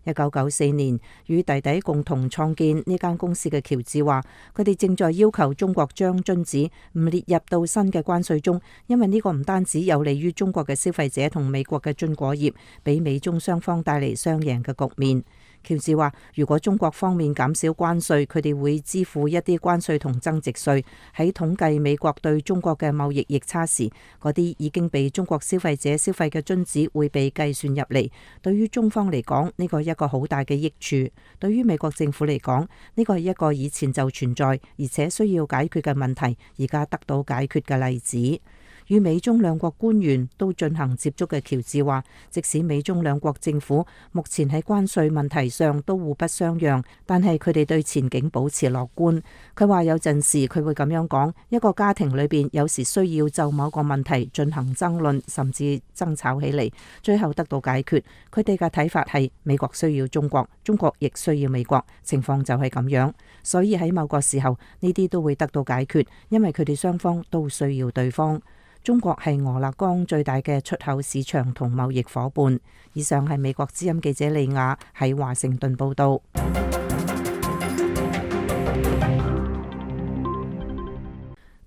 1994年與弟弟共同創建呢間公司嘅喬治話，佢哋正在要求中國將榛子唔列入到新嘅關稅中，因為呢個唔單止有利於中國嘅消費者同美國嘅榛果業，俾美中雙方帶嚟雙贏嘅局面。喬治話，如果中國方面減少關稅，佢哋會支付一啲關稅同增值稅。喺統計美國對中國嘅貿易逆差時，嗰啲已經被中國消費者消費嘅榛子會被計算入嚟。對於中方嚟講，呢個係一個好大嘅益處；對於美國政府嚟講，呢個係一個以前就存在而且需要解決嘅問題，而家得到解決嘅例子。與美中兩國官員都進行接觸嘅喬治話，即使美中兩國政府目前喺關稅問題上都互不相讓，但係佢哋對前景保持樂觀。佢話有陣時佢會咁樣講，一個家庭裏邊有時需要就某個問題進行爭論，甚至爭吵起嚟，最後得到解決。佢哋嘅睇法係美國需要中國，中國亦需要美國，情況就係咁樣。所以喺某個時候呢啲都會得到解決，因為佢哋雙方都需要對方。中國係俄勒岡最大嘅出口市場同貿易夥伴。以上係美國之音記者利亞喺華盛頓報道。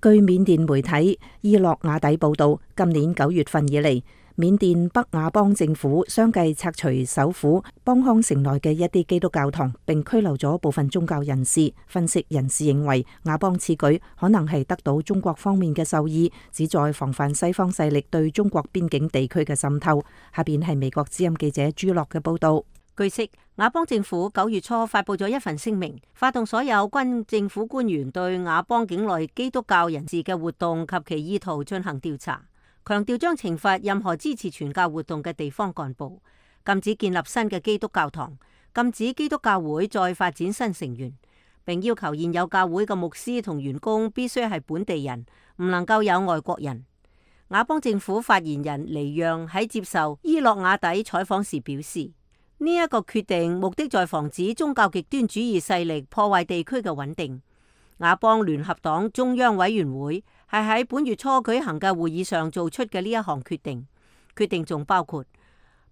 據緬甸媒體伊洛瓦底報道，今年9月份以嚟，緬甸北亞邦政府相繼拆除首府邦康城內嘅一啲基督教堂，並拘留咗部分宗教人士。分析人士認為，亞邦此舉可能係得到中國方面嘅授意，旨在防範西方勢力對中國邊境地區嘅滲透。下邊係美國之音記者朱樂嘅報道。據悉，亞邦政府9月初發佈咗一份聲明，發動所有軍政府官員對亞邦境內基督教人士嘅活動及其意圖進行調查，強調將懲罰任何支持傳教活動嘅地方幹部，禁止建立新嘅基督教堂，禁止基督教會再發展新成員，並要求現有教會嘅牧師同員工必須係本地人，唔能夠有外國人。亞邦政府發言人尼讓喺接受伊洛瓦底採訪時表示，呢一個決定目的在防止宗教極端主義勢力破壞地區嘅穩定。亞邦聯合黨中央委員會係喺本月初舉行嘅會議上做出嘅呢一項決定。決定仲包括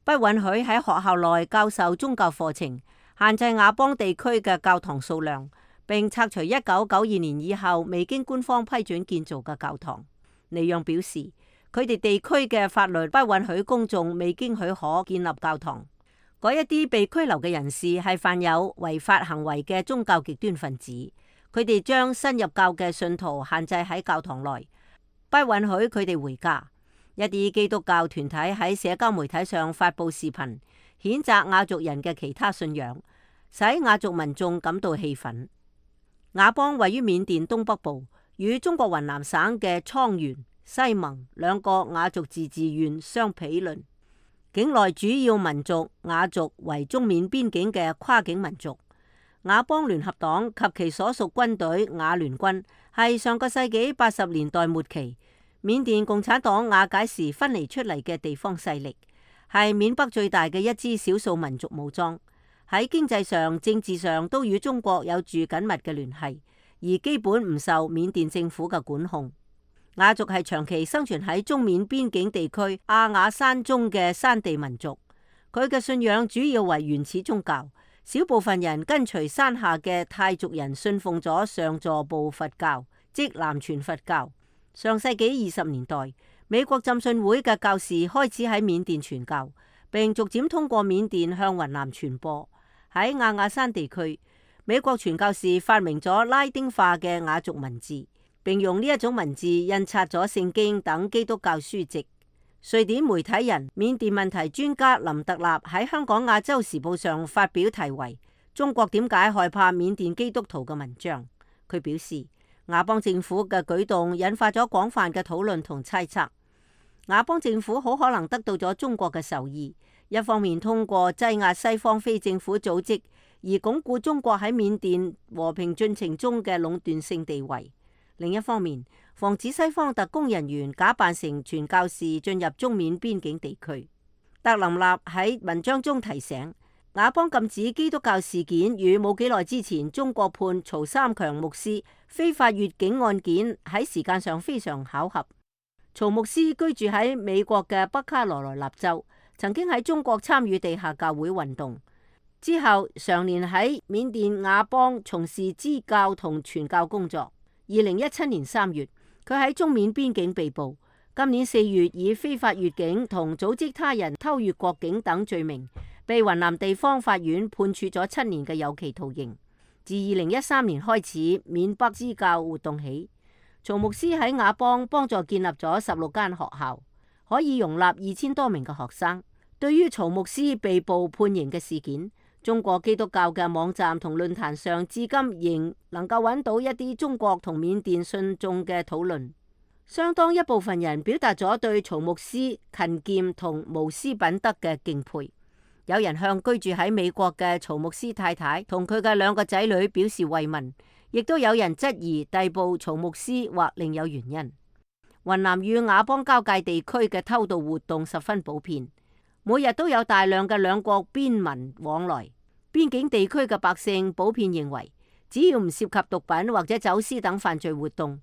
不允許喺學校內教授宗教課程，限制亞邦地區嘅教堂數量，並拆除1992年以後未經官方批准建造嘅教堂。尼讓表示，佢哋地區嘅法律不允許公眾未經許可建立教堂。嗰一啲被拘留嘅人士係犯有違法行為嘅宗教極端分子，佢哋將新入教嘅信徒限制喺教堂內，不允許佢哋回家。一啲基督教團體喺社交媒體上發布視頻，譴責亞族人嘅其他信仰，使亞族民眾感到氣憤。雅邦位於緬甸東北部，與中國雲南省嘅倉原、西盟兩個雅族自治縣相毗鄰。境內主要民族雅族為中緬邊境嘅跨境民族。雅邦聯合黨及其所屬軍隊雅聯軍係上個世紀80年代末期緬甸共產黨瓦解時分離出嚟嘅地方勢力，係緬北最大嘅一支少數民族武裝。喺經濟上、政治上都與中國有住緊密嘅聯繫，而基本唔受緬甸政府嘅管控。雅族係長期生存喺中緬邊境地區阿雅山中嘅山地民族，佢嘅信仰主要為原始宗教，小部分人跟隨山下嘅泰族人信奉咗上座部佛教，即南傳佛教。上世紀20年代，美國浸信會嘅教士開始喺緬甸傳教，並逐漸通過緬甸向雲南傳播。喺阿雅山地區，美國傳教士發明咗拉丁化嘅雅族文字，並用呢一種文字印刷咗聖經等基督教書籍。瑞典媒體人、緬甸問題專家林特納喺香港亞洲時報上發表題為《中國點解害怕緬甸基督徒》嘅文章。佢表示，雅邦政府嘅舉動引發咗廣泛嘅討論同猜測。雅邦政府好可能得到咗中國嘅授意，一方面通過擠壓西方非政府組織而鞏固中國喺緬甸和平進程中嘅壟斷性地位，另一方面防止西方特工人員假扮成傳教士進入中緬邊境地區。特林納喺文章中提醒，雅邦禁止基督教事件與冇幾耐之前中國判曹三強牧師非法越境案件喺時間上非常巧合。曹牧師居住喺美國嘅北卡羅來納州，曾經喺中國參與地下教會運動，之後常年喺緬甸雅邦從事支教同傳教工作。2017年3月，佢喺中緬邊境被捕。今年4月，以非法越境同組織他人偷越國境等罪名，被雲南地方法院判處咗7年嘅有期徒刑。自2013年開始，緬北支教活動起，曹牧師喺雅邦幫助建立咗16間學校，可以容納2000多名嘅學生。對於曹牧師被捕判刑嘅事件，中國基督教嘅網站同論壇上至今仍能夠揾到一啲中國同緬甸信眾嘅討論。相當一部分人表達咗對曹牧師勤儉同無私品德嘅敬佩。有人向居住喺美國嘅曹牧師太太同佢嘅2個仔女表示慰問，亦都有人質疑逮捕曹牧師或另有原因。雲南與雅邦交界地區嘅偷渡活動十分普遍，每日都有大量嘅兩國邊民往來。邊境地區嘅百姓普遍認為，只要唔涉及毒品或者走私等犯罪活動，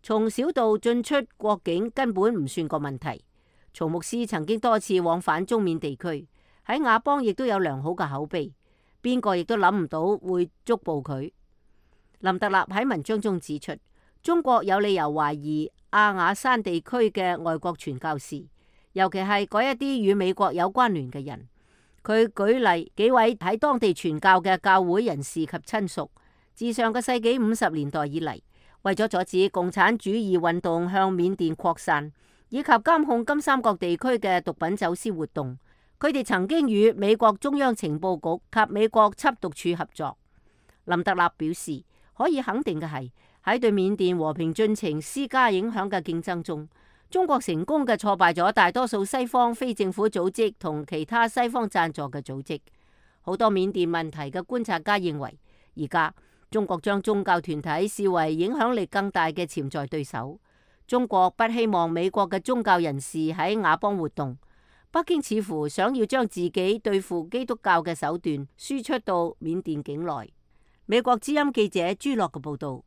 從小到進出國境根本唔算個問題。曹牧師曾經多次往返中緬地區，喺雅邦亦都有良好嘅口碑，邊個亦都諗唔到會捉捕佢。林特納喺文章中指出，中國有理由懷疑阿雅山地區嘅外國傳教士，尤其係嗰一啲與美國有關聯嘅人。佢舉例幾位喺當地傳教嘅教會人士及親屬，自上個世紀50年代以嚟，為咗阻止共產主義運動向緬甸擴散，以及監控金三角地區嘅毒品走私活動，佢哋曾經與美國中央情報局及美國緝毒處合作。林特納表示，可以肯定嘅係，喺對緬甸和平進程施加影響嘅競爭中，中國成功嘅挫敗咗大多數西方非政府組織同其他西方贊助嘅組織。好多緬甸問題嘅觀察家認為，而家中國將宗教團體視為影響力更大嘅潛在對手。中國不希望美國嘅宗教人士喺雅邦活動。北京似乎想要將自己對付基督教嘅手段輸出到緬甸境內。美國之音記者朱樂嘅報道。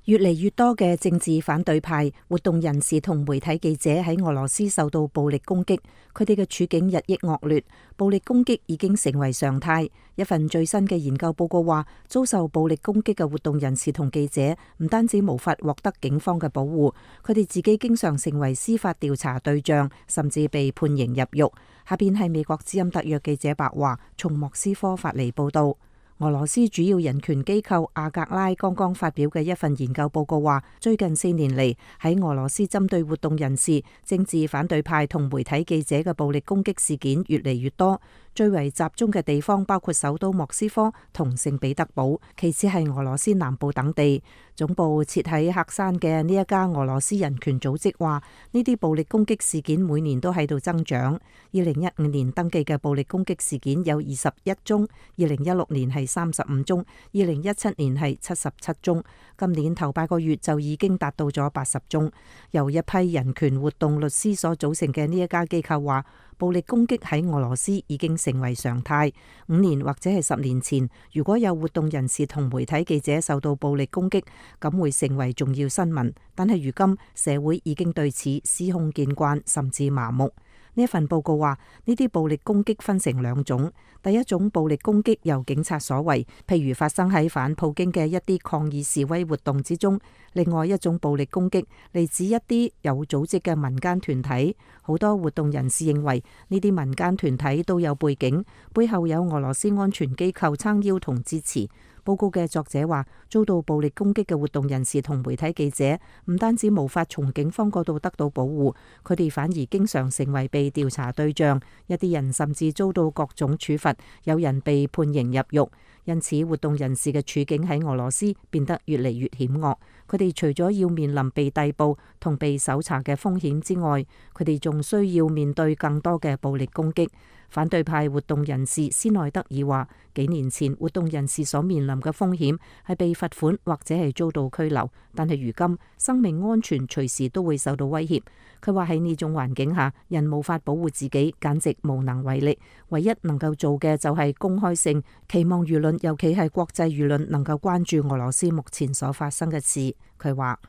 越嚟越多嘅政治反對派、活動人士同媒體記者喺俄羅斯受到暴力攻擊，佢哋嘅處境日益惡劣，暴力攻擊已經成為常態。一份最新嘅研究報告話，遭受暴力攻擊嘅活動人士同記者唔單止無法獲得警方嘅保護，佢哋自己經常成為司法調查對象，甚至被判刑入獄。下邊係美國之音特約記者白華從莫斯科發嚟報道。俄羅斯主要人權機構阿格拉剛剛發表嘅一份研究報告話，最近4年嚟喺俄羅斯針對活動人士、政治反對派同媒體記者嘅暴力攻擊事件越嚟越多。最為集中嘅地方包括首都莫斯科同聖彼得堡，其次係俄羅斯南部等地。總部設喺黑山嘅呢一家俄羅斯人權組織話，呢啲暴力攻擊事件每年都喺度增長。2015年登記嘅暴力攻擊事件有21宗，2016年係35宗，2017年係77宗，今年頭8個月就已經達到咗80宗。由一批人權活動律師所組成嘅呢一家機構話，暴力攻擊喺俄羅斯已經成為常態。5年或者係10年前，如果有活動人士同媒體記者受到暴力攻擊，咁會成為重要新聞。但係如今社會已經對此司空見慣，甚至麻木。呢一份報告話，呢啲暴力攻擊分成2種。第一種暴力攻擊由警察所為，譬如發生喺反普京嘅一啲抗議示威活動之中。另外一種暴力攻擊嚟自一啲有組織嘅民間團體。好多活動人士認為呢啲民間團體都有背景，背後有俄羅斯安全機構撐腰同支持。報告嘅作者話，遭到暴力攻擊嘅活動人士同媒體記者唔單止無法從警方嗰度得到保護，佢哋反而經常成為被調查對象，一啲人甚至遭到各種處罰，有人被判刑入獄。因此，活動人士嘅處境喺俄羅斯變得越嚟越險惡。佢哋除咗要面臨被逮捕同被搜查嘅風險之外，佢哋仲需要面對更多嘅暴力攻擊。反對派活動人士斯內德爾話，幾年前活動人士所面臨嘅風險係被罰款或者係遭到拘留，但係如今生命安全隨時都會受到威脅。佢話喺呢種環境下，人無法保護自己，簡直無能為力。唯一能夠做嘅就係公開性，期望輿論，尤其係國際輿論，能夠關注俄羅斯目前所發生嘅事。佢話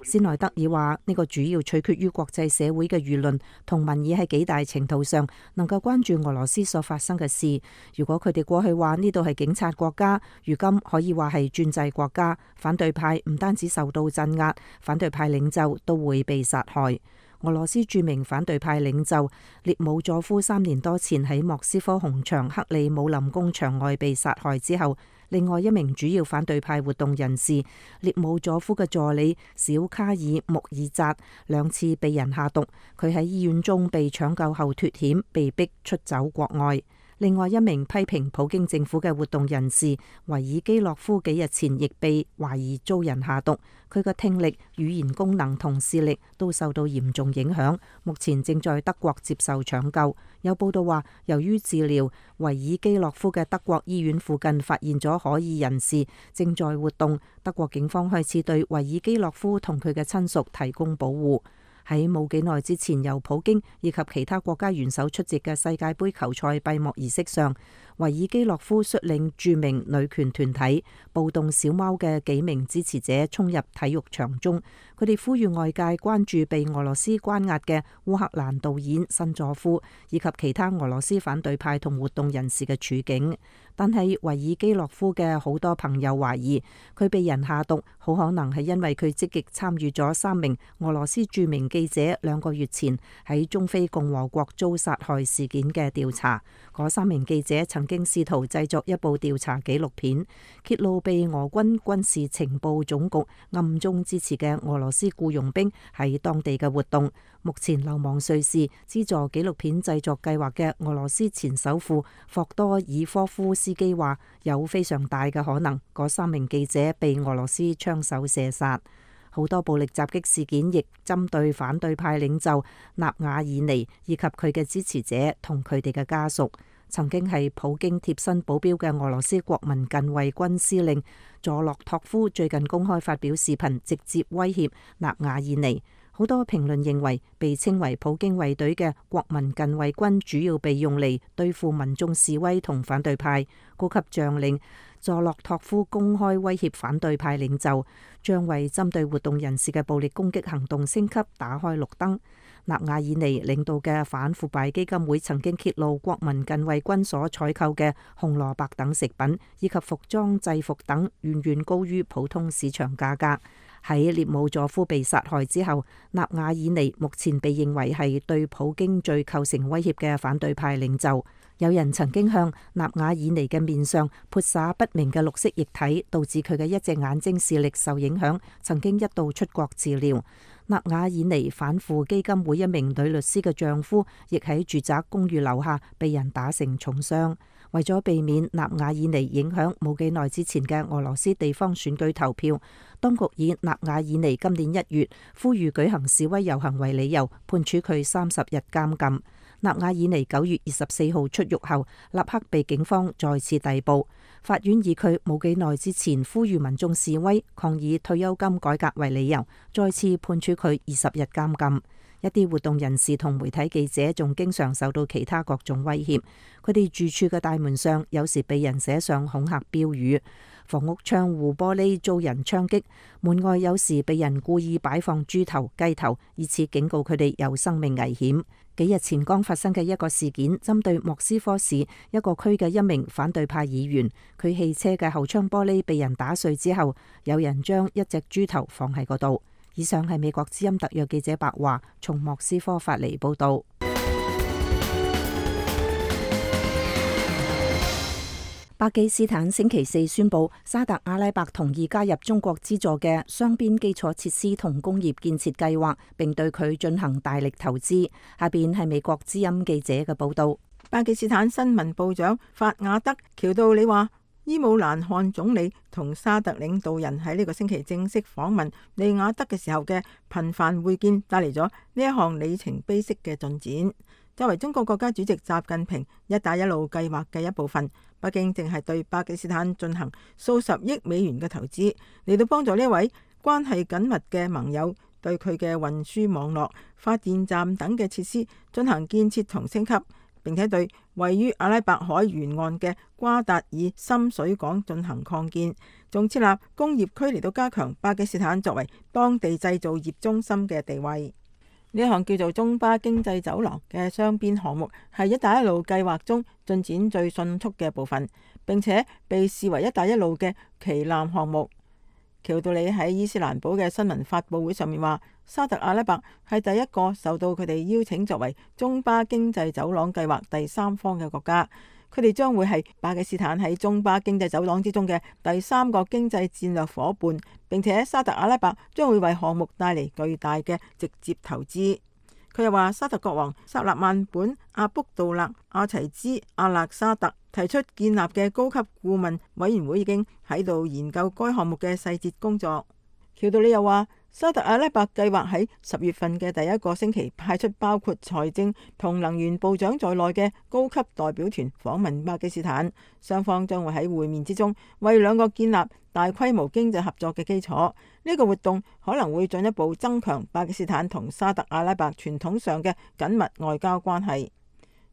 斯內德爾話，呢個主要取決於國際社會嘅輿論同民意喺幾大程度上能夠關注俄羅斯所發生嘅事。如果佢哋過去話呢度係警察國家，如今可以話係專制國家，反對派唔單止受到鎮壓，反對派領袖都會被殺害。俄羅斯著名反對派領袖列姆佐夫3年多前喺莫斯科紅場克里姆林宮牆外被殺害之後，另外一名主要反對派活動人士列姆佐夫嘅助理小卡爾穆爾扎2次被人下毒，佢喺醫院中被搶救後脫險，被逼出走國外。另外一名批評普京政府嘅活動人士維爾基洛夫幾日前亦被懷疑遭人下毒，佢嘅聽力、語言功能同視力都受到嚴重影響，目前正在德國接受搶救。有報道話，由於治療維爾基洛夫嘅德國醫院附近發現咗可疑人士正在活動，德國警方開始對維爾基洛夫同佢嘅親屬提供保護。喺冇幾耐之前，由普京以及其他國家元首出席嘅世界盃球賽閉幕儀式上，維爾基洛夫率領著名女權團體暴動小貓嘅幾名支持者衝入體育場中，佢哋呼籲外界關注被俄羅斯關押嘅烏克蘭導演辛佐夫以及其他俄羅斯反對派同活動人士嘅處境。但係維爾基洛夫嘅好多朋友懷疑佢被人下毒，好可能係因為佢積極參與咗3名俄羅斯著名記者2個月前喺中非共和國遭殺害事件嘅調查。嗰3名記者曾經試圖製作一部調查紀錄片，揭露被俄軍軍事情報總局暗中支持嘅俄羅斯僱傭兵喺當地嘅活動。目前流亡瑞士資助紀錄片製作計劃嘅俄羅斯前首富霍多爾科夫斯基話，有非常大嘅可能嗰3名記者被俄羅斯槍手射殺。好多暴力襲擊事件亦針對反對派領袖納瓦爾尼以及佢嘅支持者同佢哋嘅家屬。曾經係普京貼身保鏢嘅俄羅斯國民近衛軍司令佐洛托夫最近公開發表視頻，直接威脅納瓦爾尼。好多評論認為，被稱為普京衛隊嘅國民近衛軍主要被用嚟對付民眾示威同反對派。高級將領佐洛托夫公開威脅反對派領袖，將為針對活動人士嘅暴力攻擊行動升級打開綠燈。納瓦爾尼領導嘅反腐敗基金會曾經揭露國民近衛軍所採購嘅紅蘿蔔等食品以及服裝制服等遠遠高於普通市場價格。喺列姆佐夫被殺害之後，納瓦爾尼目前被認為係對普京最構成威脅嘅反對派領袖。有人曾經向納瓦爾尼嘅面上潑灑不明嘅綠色液體，導致佢嘅一隻眼睛視力受影響，曾經一度出國治療。納瓦爾尼反腐基金會一名女律師嘅丈夫亦喺住宅公寓樓下被人打成重傷。為咗避免納瓦爾尼影響冇幾耐之前嘅俄羅斯地方選舉投票，當局以納瓦爾尼今年1月呼籲舉行示威遊行為理由，判處佢30日監禁。納瓦爾尼9月24號出獄後，立刻被警方再次逮捕。法院以佢冇幾耐之前呼籲民眾示威抗議退休金改革為理由，再次判處佢20日監禁。一啲活動人士同媒體記者仲經常受到其他各種威脅，佢哋住處嘅大門上有時被人寫上恐嚇標語，房屋窗戶玻璃遭人槍擊，門外有時被人故意擺放豬頭、雞頭，以此警告佢哋有生命危險。幾日前剛發生嘅一個事件，針對莫斯科市一個區嘅一名反對派議員，佢汽車嘅後窗玻璃被人打碎之後，有人將一隻豬頭放喺嗰度。以上係美國之音特約記者白華從莫斯科發嚟報道。巴基斯坦星期4宣布，沙特阿拉伯同意加入中國資助嘅雙邊基礎設施同工業建設計劃，並對佢進行大力投資。下邊係美國之音記者嘅報道。巴基斯坦新聞部長法雅德喬道理話，伊姆蘭汗總理同沙特領導人喺呢個星期正式訪問利雅得嘅時候嘅頻繁會見，帶嚟咗呢一項里程碑式嘅進展。作為中國國家主席習近平一帶一路計劃嘅一部分，北京正係對巴基斯坦進行數十億美元嘅投資，嚟到幫助呢位關係緊密嘅盟友對佢嘅運輸網絡、發電站等嘅設施進行建設同升級，並且對位於阿拉伯海沿岸嘅瓜達爾深水港進行擴建，仲設立工業區嚟到加強巴基斯坦作為當地製造業中心嘅地位。呢一項叫做中巴經濟走廊嘅雙邊項目係一帶一路計劃中進展最迅速嘅部分，並且被視為一帶一路嘅旗艦項目。喬道理喺伊斯蘭堡嘅新聞發佈會上面話，沙特阿拉伯係第一個受到佢哋邀請作為中巴經濟走廊計劃第三方嘅國家，佢哋將會係巴基斯坦喺中巴經濟走廊之中嘅第3個經濟戰略夥伴，並且沙特阿拉伯將會為項目帶嚟巨大嘅直接投資。佢又話，沙特國王薩勒曼本阿卜杜勒阿齊茲阿勒沙特提出建立嘅高級顧問委員會已經喺度研究該項目嘅細節工作。喬道理又話，沙特阿拉伯計劃喺10月份嘅第一個星期派出包括財政同能源部長在內嘅高級代表團訪問巴基斯坦，雙方將會喺會面之中為兩國建立大規模經濟合作嘅基礎。呢個活動可能會進一步增強巴基斯坦同沙特阿拉伯傳統上嘅緊密外交關係。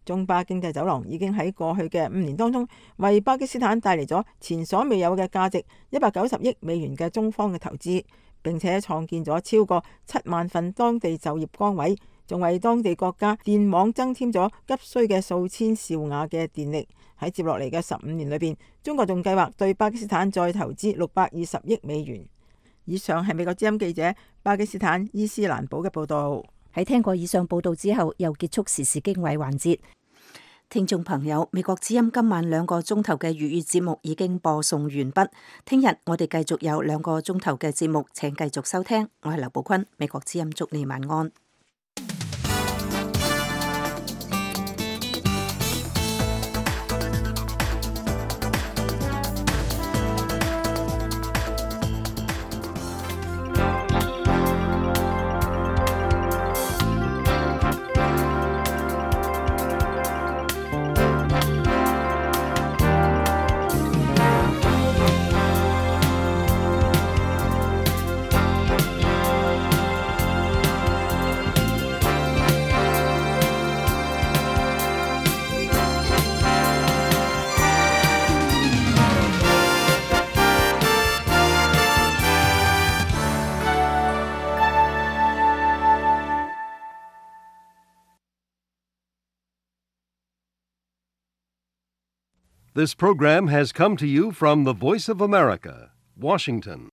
中巴經濟走廊已經喺過去嘅5年當中為巴基斯坦帶嚟咗前所未有嘅價值190億美元嘅中方嘅投資，並且創建咗超過7萬份當地就業崗位，仲為當地國家電網增添咗急需嘅數千兆瓦嘅電力。喺接落嚟嘅15年裏邊，中國仲計劃對巴基斯坦再投資620億美元。以上係美國之音記者巴基斯坦伊斯蘭堡嘅報道。喺聽過以上報道之後，又結束時事經緯環節。聽眾朋友，美國之音今晚2個鐘頭嘅粵語節目已經播送完畢。聽日我哋繼續有2個鐘頭嘅節目，請繼續收聽。我係劉寶坤，美國之音祝你晚安。This program has come to you from the Voice of America, Washington.